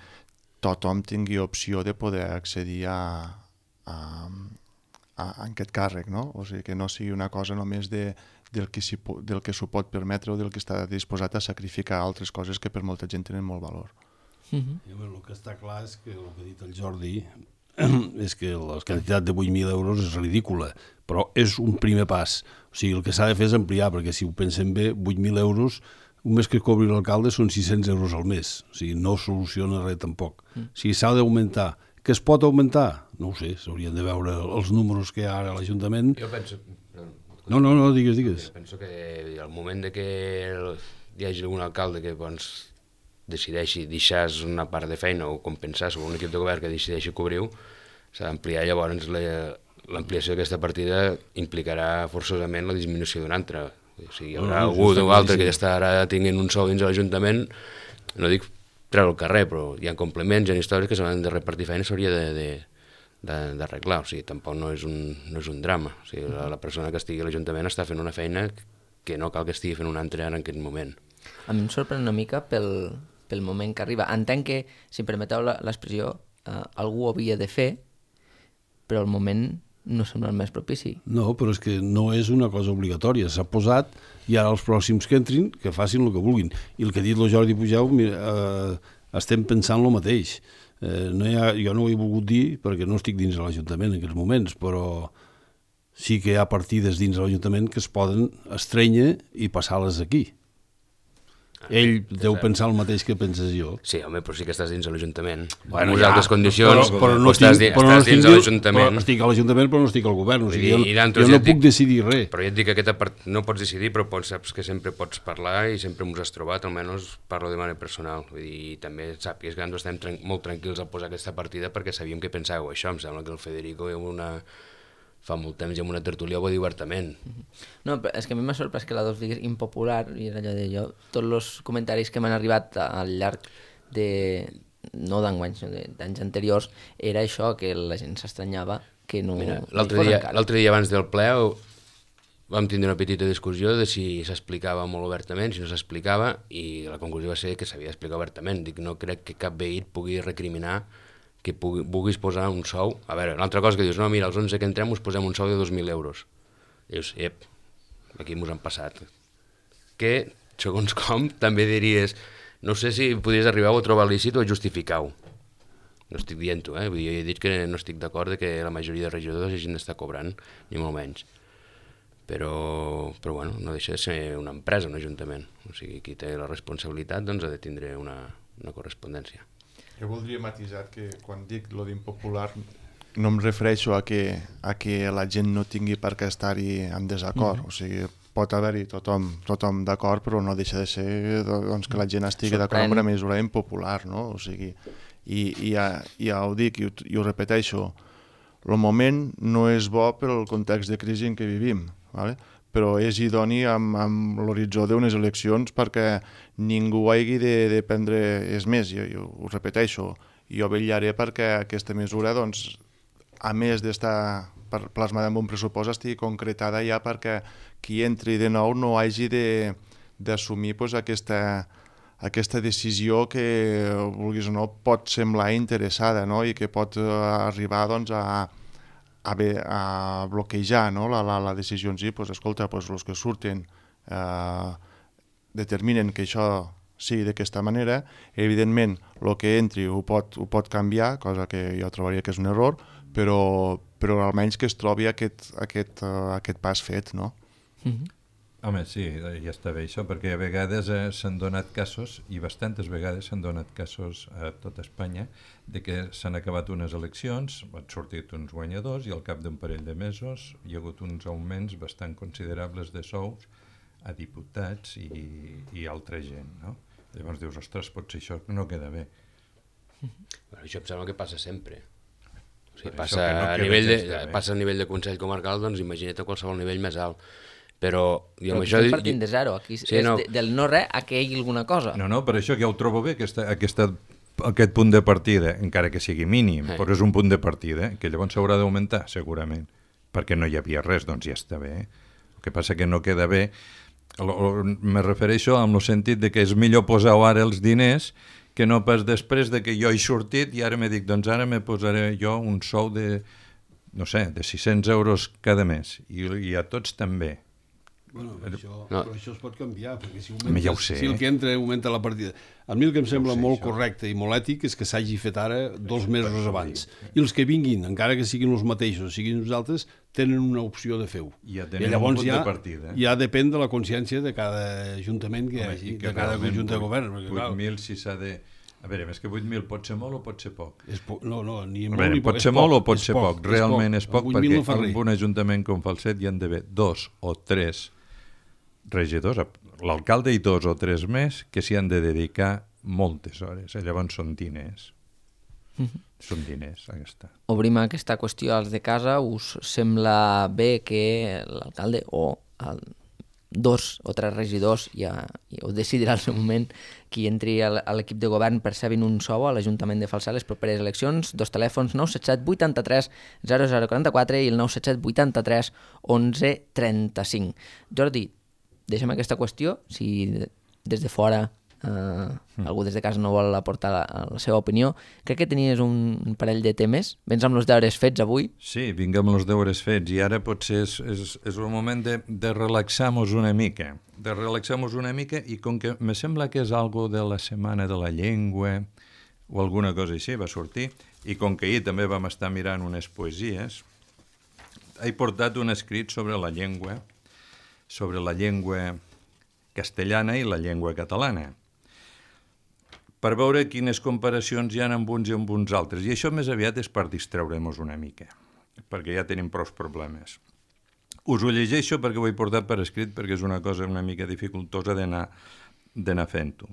tothom tingui opció de poder accedir a, a, a, a aquest càrrec, no? O sigui, que no sigui una cosa només de, del que s'ho del que s'ho pot permetre o del que està disposat a sacrificar altres coses que per molta gent tenen molt valor. Mm-hmm. I, bueno, el que està clar és que el que ha dit el Jordi és que la quantitat de vuit mil euros és ridícula, però és un primer pas. O sigui, el que s'ha de fer és ampliar, perquè si ho pensem bé, vuit mil euros, un mes que cobri l'alcalde són sis-cents euros al mes. O sigui, no soluciona res tampoc. Mm. O sigui, s'ha d'augmentar. Que es pot augmentar? No ho sé, s'haurien de veure els números que hi ha ara a l'Ajuntament. Jo penso... No, no, no, digues, digues. Jo penso que al moment de que hi hagi algun alcalde que doncs, decideixi deixar una part de feina o compensar sobre un equip de govern que decideixi cobrir-ho, s'ha d'ampliar. Llavors l'ampliació d'aquesta partida implicarà forçosament la disminució d'una altra. O sigui, hi haurà no, no, algú o altre que ja està ara tinguent un sou dins de l'Ajuntament, no dic treure al carrer, però hi ha complements, hi ha històries que s'han de repartir feina, s'hauria de, de, de, d'arreglar. O sigui, tampoc no és un, no és un drama. O sigui, la, la persona que estigui a l'Ajuntament està fent una feina que no cal que estigui fent una altra ara en aquest moment. A mi em sorprèn una mica pel, pel moment que arriba. Entenc que, si em permeteu l'expressió, eh, algú ho havia de fer, però el moment no sembla el més propici. No, però és que no és una cosa obligatòria. S'ha posat i ara els pròxims que entrin que facin el que vulguin. I el que ha dit el Jordi Pujau, mira, eh, estem pensant el mateix. Eh, no hi ha, jo no ho he volgut dir perquè no estic dins de l'Ajuntament en aquests moments, però sí que hi ha partides dins de l'Ajuntament que es poden estrènyer i passar-les aquí. Ell deu pensar el mateix que penses jo. Sí, home, però sí que estàs dins de l'Ajuntament. Bueno, en ja, altres condicions, però, però no estàs, estic, però estàs no dins de l'Ajuntament. Però estic a l'Ajuntament, però no estic al govern. O sigui, I, jo, i jo no puc dic, decidir res. Però ja et dic que aquesta part no pots decidir, però pots, saps que sempre pots parlar i sempre ens has trobat, almenys parlo de manera personal. Vull dir, i també sàpies que nosaltres estem tran molt tranquils a posar aquesta partida perquè sabíem que pensàveu això. Em sembla que el Federico és una... fa molt temps i amb una tertúlia ho va dir obertament. No, però és que a mi m'ha sorprès que la dos digués impopular, i era allò de jo, tots els comentaris que m'han arribat al llarg de, no d'enguany, sinó d'anys anteriors, era això, que la gent s'estranyava que no... L'altre dia, dia abans del ple vam tindre una petita discussió de si s'explicava molt obertament, si no s'explicava, i la conclusió va ser que s'havia d'explicar obertament. Dic, no crec que cap veí pugui recriminar que pugui, vulguis posar un sou. A veure, l'altra cosa que dius, no, mira, els onze que entrem us posem un sou de dos mil euros. I dius, ep, aquí mos han passat. Que, segons com, també diries, no sé si podries arribar a trobar lícit o justificar-ho. No estic dient-ho, eh? Vull dir, jo he dit que no estic d'acord que la majoria de regidors hagin d'estar cobrant, ni molt menys. Però, però bueno, no deixa de ser una empresa, un ajuntament. O sigui, qui té la responsabilitat doncs ha de tindre una, una correspondència. Jo voldria matisar que quan dic lo d'impopular no em refereixo a que, a que la gent no tingui per què estar-hi en desacord. Mm-hmm. O sigui, pot haver-hi tothom, tothom d'acord, però no deixa de ser doncs, que la gent estigui d'acord amb una mesura impopular, no? O sigui, i, i ja, ja ho dic i ho, i ho repeteixo, el moment no és bo pel context de crisi en què vivim, ¿vale? Però és idoni amb, amb l'horitzó d'unes eleccions perquè ningú hagi de, de prendre... És més, jo, jo ho repeteixo, jo vetllaré perquè aquesta mesura, doncs, a més d'estar plasmada en un pressupost, estigui concretada ja perquè qui entri de nou no hagi d'assumir pues, aquesta, aquesta decisió que, vulguis o no, pot semblar interessada, no? I que pot arribar doncs, a... A, bé, a bloquejar, no? la, la, la decisió en si, pues, escolta, pues, els que surten eh, determinen que això sigui d'aquesta manera, evidentment el que entri ho pot, ho pot canviar, cosa que jo trobaria que és un error, però, però almenys que es trobi aquest, aquest, uh, aquest pas fet, no? Mm-hmm. Home, sí, ja està bé això, perquè a vegades eh, s'han donat casos, i bastantes vegades s'han donat casos a tot Espanya, de que s'han acabat unes eleccions, han sortit uns guanyadors i al cap d'un parell de mesos hi ha hagut uns augments bastant considerables de sous a diputats i, i altra gent, no? Llavors dius, ostres, potser això no queda bé. Bueno, això em sembla que passa sempre. O sigui, passa, no a nivell de, passa a nivell de Consell Comarcal, doncs imagina't a qualsevol nivell més alt. Però, i amb això... estem partint de zero, aquí sí, és no. de, del no res a que hi hagi alguna cosa. No, no, per això que ja ho trobo bé, aquesta, aquesta, aquest punt de partida, encara que sigui mínim, eh. però és un punt de partida, que llavors s'haurà d'augmentar, segurament, perquè no hi havia res, doncs ja està bé. El que passa que no queda bé, me refereixo amb el sentit de que és millor posar ara els diners que no pas després de que jo he sortit i ara me dic, doncs ara me posaré jo un sou de, no sé, de sis-cents euros cada mes, i, i a tots també. Bueno, això, no. però això es pot canviar, perquè si, augmenta, ja ho sé. si el que entra augmenta la partida... A mi el que em sembla ja sé, molt això. correcte i molt ètic és que s'hagi fet ara dos mesos abans. I els que vinguin, encara que siguin els mateixos, siguin nosaltres, tenen una opció de fer-ho. Ja tenen I llavors un punt ja, de partida. Ja depèn de la consciència de cada ajuntament que hi hagi, de cada conjunt de govern. vuit mil si s'ha de... A veure, més que vuit mil pot ser molt o pot ser poc? És po... No, no, ni molt veure, ni poc. Pot ser poc, molt o pot ser poc. poc? Realment és poc, és poc perquè no en un ajuntament com Falset hi han d'haver dos o tres regidors, l'alcalde i dos o tres més, que s'hi han de dedicar moltes hores. Llavors són diners. Mm-hmm. Són diners, aquesta. Obrim aquesta qüestió als de casa. Us sembla bé que l'alcalde o el, dos o tres regidors, ja, ja ho decidirà al seu moment, qui entri a l'equip de govern percebin un sou a l'Ajuntament de Falset les properes eleccions. Dos telèfons, nou set set vuitanta-tres zero zero quaranta-quatre i el nou set set vuitanta-tres onze trenta-cinc. Jordi, deixem aquesta qüestió, si des de fora eh, mm. algú des de casa no vol aportar la, la seva opinió. Crec que tenies un parell de temes. Vens amb els deures fets avui? Sí, vinc amb els deures fets i ara potser és, és, és el moment de, de relaxar-nos una mica. De relaxar-nos una mica i com que me sembla que és algo de la Setmana de la Llengua o alguna cosa així va sortir, i com que ahir també vam estar mirant unes poesies, he portat un escrit sobre la llengua, sobre la llengua castellana i la llengua catalana, per veure quines comparacions hi ha amb uns i amb uns altres. I això més aviat és per distreure-nos una mica, perquè ja tenim prou problemes. Us ho llegeixo perquè ho he portat per escrit, perquè és una cosa una mica dificultosa d'anar fent-ho.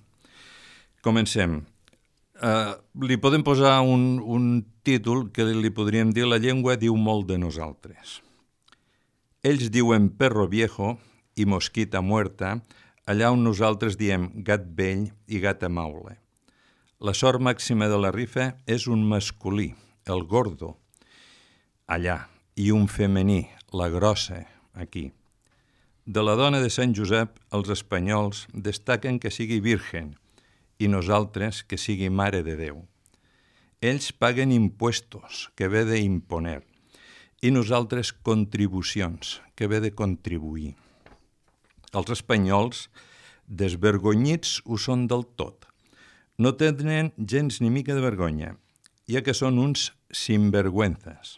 Comencem. Uh, li podem posar un, un títol que li podríem dir La llengua diu molt de nosaltres. Ells diuen perro viejo i mosquita muerta, allà on nosaltres diem gat vell i gata maule. La sort màxima de la rifa és un masculí, el gordo, allà, i un femení, la grossa, aquí. De la dona de Sant Josep, els espanyols destaquen que sigui virgen i nosaltres que sigui mare de Déu. Ells paguen impuestos, que ve d'imponer, i nosaltres contribucions, que ve de contribuir. Els espanyols, desvergonyits, ho són del tot. No tenen gens ni mica de vergonya, ja que són uns sinvergüenzas,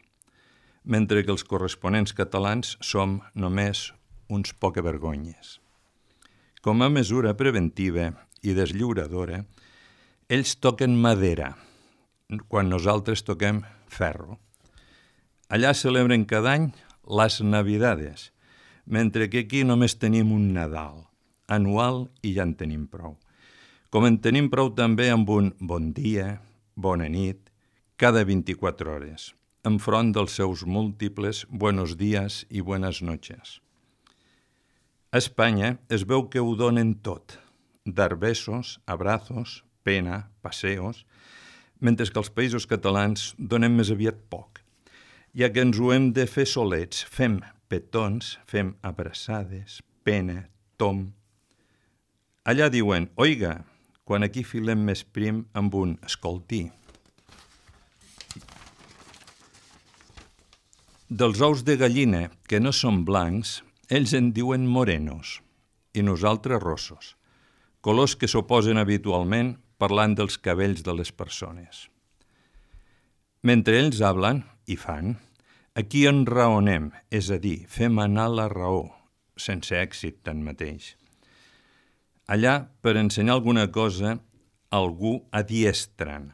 mentre que els corresponents catalans som només uns pocavergonyes. Com a mesura preventiva i deslliuradora, ells toquen madera, quan nosaltres toquem ferro. Allà celebren cada any les Navidades, mentre que aquí només tenim un Nadal, anual, i ja en tenim prou. Com en tenim prou també amb un bon dia, bona nit, cada vint-i-quatre hores, enfront dels seus múltiples buenos días i buenas noches. A Espanya es veu que ho donen tot, dar besos, abrazos, pena, paseos, mentre que els països catalans donem més aviat poc, ja que ens ho hem de fer solets, fem petons, fem abraçades, pena, tom. Allà diuen, oiga, quan aquí filem més prim amb un escolti. Dels ous de gallina, que no són blancs, ells en diuen morenos, i nosaltres rossos, colors que s'oposen habitualment parlant dels cabells de les persones. Mentre ells hablen, i fan, aquí enraonem, és a dir, fem anar la raó, sense èxit tanmateix. Allà, per ensenyar alguna cosa, algú adiestren,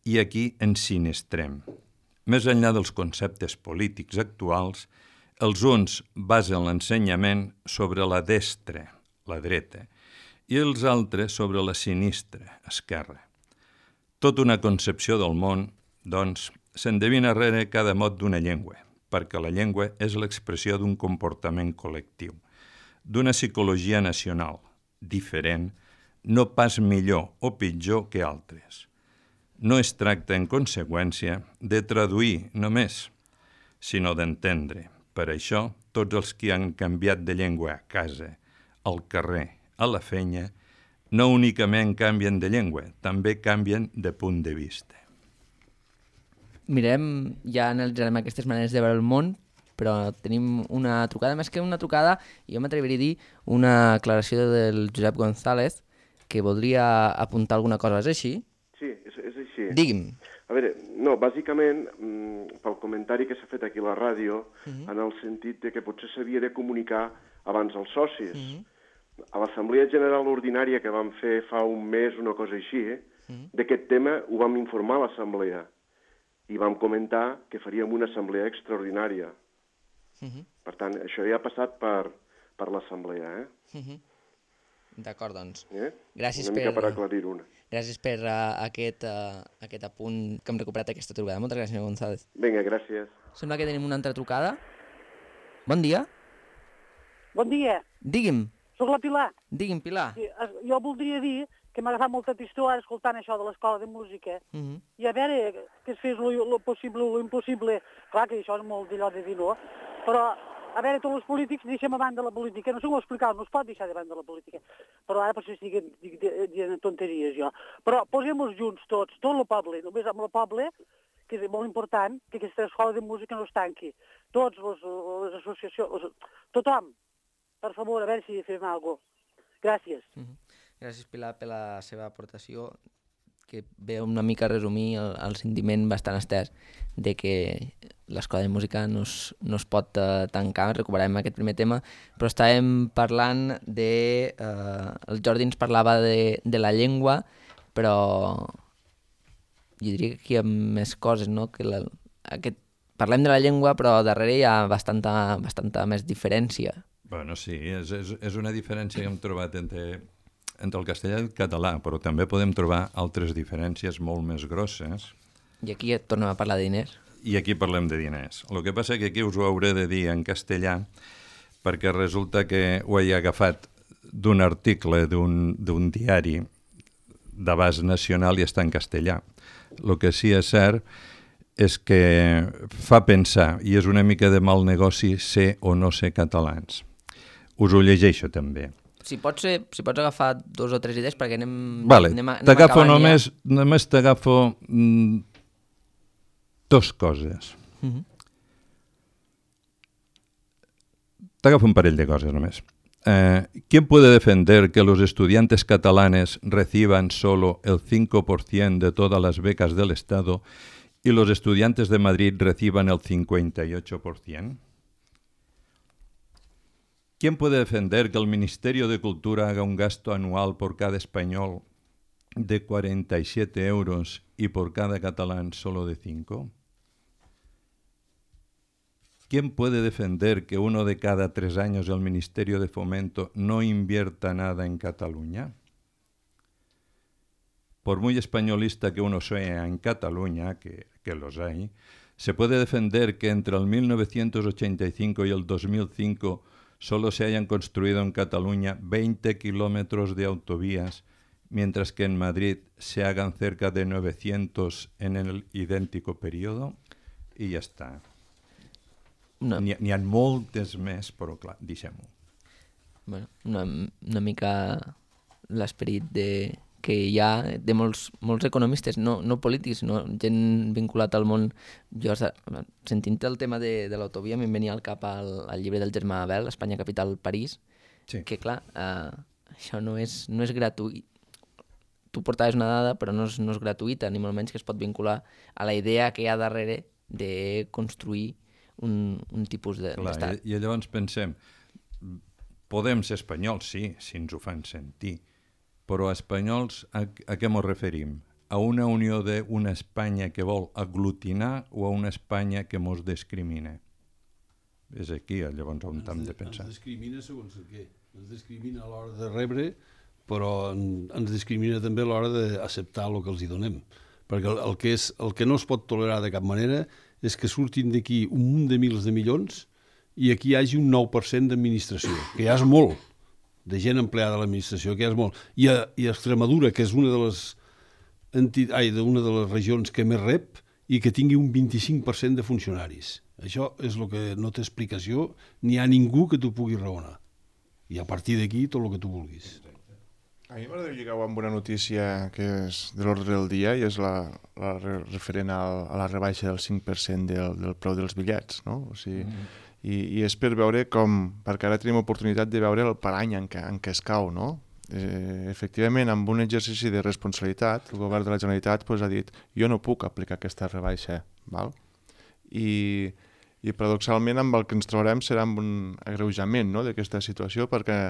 i aquí ensinistrem. Més enllà dels conceptes polítics actuals, els uns basen l'ensenyament sobre la destra, la dreta, i els altres sobre la sinistra, esquerra. Tota una concepció del món, doncs, s'endevina rere cada mot d'una llengua, perquè la llengua és l'expressió d'un comportament col·lectiu. d'una psicologia nacional, diferent, no pas millor o pitjor que altres. No es tracta, en conseqüència, de traduir només, sinó d'entendre. Per això, tots els que han canviat de llengua a casa, al carrer, a la feina, no únicament canvien de llengua, també canvien de punt de vista. Mirem, ja analitzarem aquestes maneres de veure el món, però tenim una trucada, més que una trucada, jo m'atreviria a dir una aclaració del Josep González, que voldria apuntar alguna cosa. És així? Sí, és, és així. Digui'm. A veure, no, bàsicament, mmm, pel comentari que s'ha fet aquí a la ràdio, uh-huh. en el sentit de que potser s'havia de comunicar abans als socis. Uh-huh. A l'Assemblea General Ordinària que vam fer fa un mes, una cosa així, eh? uh-huh. d'aquest tema ho vam informar a l'Assemblea i vam comentar que faríem una assemblea extraordinària. Uh-huh. Per tant, això ja ha passat per, per l'Assemblea. Eh? Uh-huh. D'acord, doncs. Eh? Gràcies una mica per, per aclarir-ho. Gràcies per uh, aquest, uh, aquest apunt que hem recuperat aquesta trucada. Moltes gràcies, senyor González. Vinga, gràcies. Sembla que tenim una altra trucada. Bon dia. Bon dia. Digui'm. Soc la Pilar. Digui'm, Pilar. Sí, jo voldria dir que m'ha agafat molta tristor ara escoltant això de l'escola de música. Uh -huh. I a veure, que es fes lo possible o lo impossible. Clar que això és molt d'allò de dir no, però a veure, tots els polítics deixem a banda la política. No sé com explicar, no es pot deixar de banda la política. Però ara potser estic dient tonteries jo. Però posem-nos junts tots, tot el poble, només amb el poble, que és molt important, que aquesta escola de música no es tanqui. Tots les, les associacions, les, tothom, per favor, a veure si fem alguna cosa. Gràcies. Uh -huh. Gràcies, Pilar, per la seva aportació, que ve una mica a resumir el, el sentiment bastant estès de que l'escola de música no es, no es pot uh, tancar. Recuperarem aquest primer tema, però estàvem parlant de... Uh, el Jordi ens parlava de, de la llengua, però jo diria que aquí hi ha més coses, no? Que la, aquest, parlem de la llengua, però darrere hi ha bastanta, bastanta més diferència. Bueno, sí, és, és, és una diferència que hem trobat entre... entre el castellà i el català, però també podem trobar altres diferències molt més grosses. I aquí et tornem a parlar de diners. I aquí parlem de diners. El que passa és que aquí us ho hauré de dir en castellà, perquè resulta que ho he agafat d'un article d'un diari d'abast nacional i està en castellà. El que sí és cert és que fa pensar, i és una mica de mal negoci ser o no ser catalans. Us ho llegeixo també. Si pots, ser, si pots agafar dos o tres idees perquè anem, vale. anem, anem t'agafo acabant només, ja. Només t'agafo mm, dos coses. Uh-huh. T'agafo un parell de coses només. Eh, ¿Quién puede defender que los estudiantes catalanes reciban solo el cinco por ciento de todas las becas del Estado y los estudiantes de Madrid reciban el cincuenta y ocho por ciento? ¿Quién puede defender que el Ministerio de Cultura haga un gasto anual por cada español de cuarenta y siete euros y por cada catalán solo de cinco? ¿Quién puede defender que uno de cada tres años el Ministerio de Fomento no invierta nada en Cataluña? Por muy españolista que uno sea en Cataluña, que, que los hay, se puede defender que entre el mil novecientos ochenta y cinco y el dos mil cinco solo se hayan construido en Cataluña veinte kilómetros de autovías, mientras que en Madrid se hagan cerca de novecientos en el idéntico periodo, i ja està. No. N'hi ha, ha moltes més, però clar, deixem-ho. Bueno, una, una mica l'esperit de, que hi ha de molts, molts economistes, no, no polítics, no, gent vinculat al món. Jo, sentint el tema de, de l'autovia, me'n venia al cap al, al llibre del Germà Abel, Espanya capital París, sí. Que clar, eh, això no és, no és gratuït. Tu portaves una dada, però no és, no és gratuïta, ni molt menys que es pot vincular a la idea que hi ha darrere de construir un, un tipus de, clar, d'estat. I, I llavors pensem, podem ser espanyols, sí, si ens ho fan sentir, però espanyols a, a què ens referim? A una unió d'una Espanya que vol aglutinar o a una Espanya que ens discrimina? És aquí llavors on hem de pensar. Ens discrimina segons el què. Ens discrimina a l'hora de rebre, però ens discrimina també a l'hora d'acceptar el que els hi donem. Perquè el, el, que és, el que no es pot tolerar de cap manera és que surtin d'aquí un munt de mils de milions i aquí hi hagi un nou per cent d'administració, que ja és molt, de gent empleada a l'administració, que ja és molt. I a, i a Extremadura, que és una de les enti... Ai, una de les regions que més rep, i que tingui un vint-i-cinc per cent de funcionaris. Això és el que no té explicació, ni hi ha ningú que t'ho pugui raonar. I a partir d'aquí, tot el que tu vulguis. A mi m'agradaria lligar-ho amb una notícia que és de l'ordre del dia i és la, la referent a, a la rebaixa del cinc per cent del, del preu dels bitllets, no? O sigui, mm. i, i és per veure com, perquè ara tenim oportunitat de veure el parany en què, en què es cau, no? Eh, efectivament, amb un exercici de responsabilitat, el govern de la Generalitat pues, ha dit jo no puc aplicar aquesta rebaixa, val? I, i paradoxalment amb el que ens trobarem serà amb un agreujament, no?, d'aquesta situació, perquè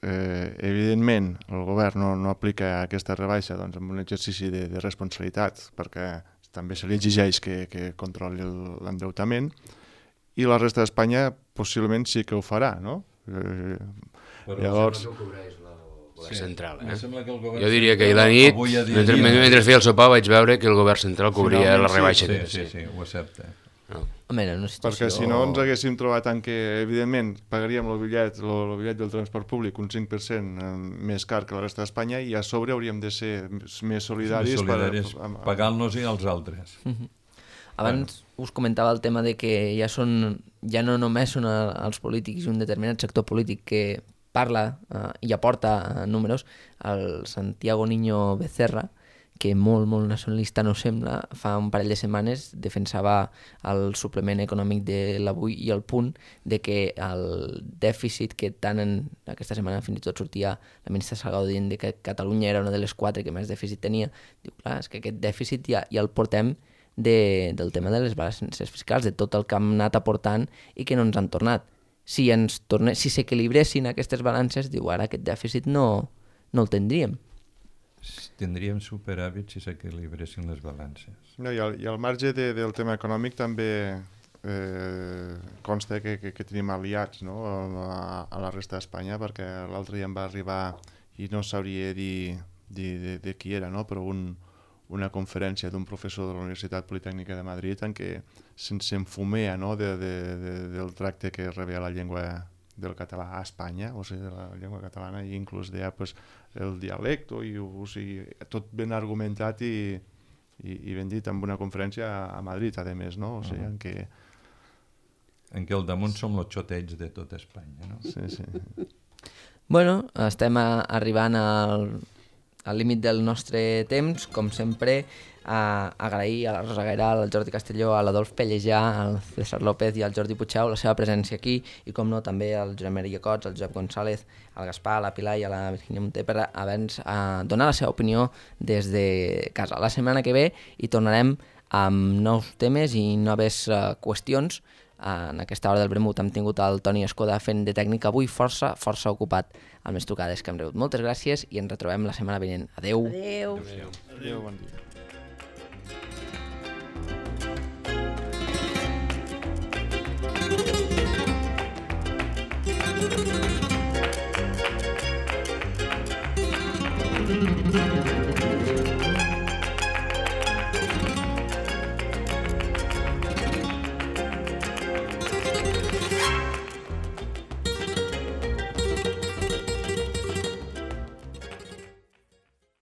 Eh, evidentment el govern no, no aplica aquesta rebaixa doncs, amb un exercici de, de responsabilitat perquè també se li exigeix que, que controli l'endeutament i la resta d'Espanya possiblement sí que ho farà, no? Eh, Però llavors... sembla que ho cobreix la govern sí, central, eh? Que jo diria que ahir la nit, mentre, mentre feia el sopar vaig veure que el govern central cobria Finalment, la rebaixa. Sí, sí, sí, sí, ho accepta. No. Home, no, situació... Perquè si no ens haguéssim trobat en què, evidentment, pagaríem el bitllet, el, el bitllet del transport públic un cinc per cent més car que la resta d'Espanya i a sobre hauríem de ser més solidaris, més solidaris per, per, pagant-nos-hi als altres. Uh -huh. Abans bueno. us comentava el tema de que ja són ja no només són els polítics i un determinat sector polític que parla uh, i aporta uh, números. El Santiago Niño Becerra, que molt, molt nacionalista no sembla, fa un parell de setmanes defensava el suplement econòmic de l'Avui i el Punt de que el dèficit que tant en aquesta setmana fins i tot sortia la ministra Salgado dient de que Catalunya era una de les quatre que més dèficit tenia. Diu, clar, és que aquest dèficit ja, ja el portem de, del tema de les balances fiscals, de tot el que hem anat aportant i que no ens han tornat. Si ens torne, si s'equilibressin aquestes balances, diu, ara aquest dèficit no, no el tindríem. Tindríem superàvit si s'equilibressin les balances. No, i, al, I al marge de, del tema econòmic també eh, consta que, que, que tenim aliats, no?, a, a la resta d'Espanya, perquè l'altre dia em va arribar, i no sabria dir, dir de, de qui era, no?, però un, una conferència d'un professor de la Universitat Politècnica de Madrid en què se'ns enfumea, no?, de, de, de, del tracte que rebia la llengua del català a Espanya, o sigui, de la llengua catalana, i inclús deia pues, el dialecte, i, o sigui, tot ben argumentat i, i, i ben dit amb una conferència a, a Madrid, a més, no? O sigui, uh -huh. en què... En què al damunt som los xotells de tot Espanya, no? Sí, sí. Bueno, estem a, arribant al, al límit del nostre temps, com sempre, a agrair a la Rosa Gairal, al Jordi Castelló, a l'Adolf Pellejà, al César López i al Jordi Puigdeu la seva presència aquí i, com no, també al Josep Maria Cots, al Josep González, al Gaspar, a la Pilar i a la Virginia Monter per haver-nos a donar la seva opinió des de casa. La setmana que ve hi tornarem amb nous temes i noves uh, qüestions. Uh, en aquesta hora del Vermut hem tingut el Toni Escoda fent de tècnic avui força, força ocupat amb les trucades que hem rebut. Moltes gràcies i ens retrobem la setmana vinent. Adeu. Adeu. Adeu. Adeu, bon dia. Thank you.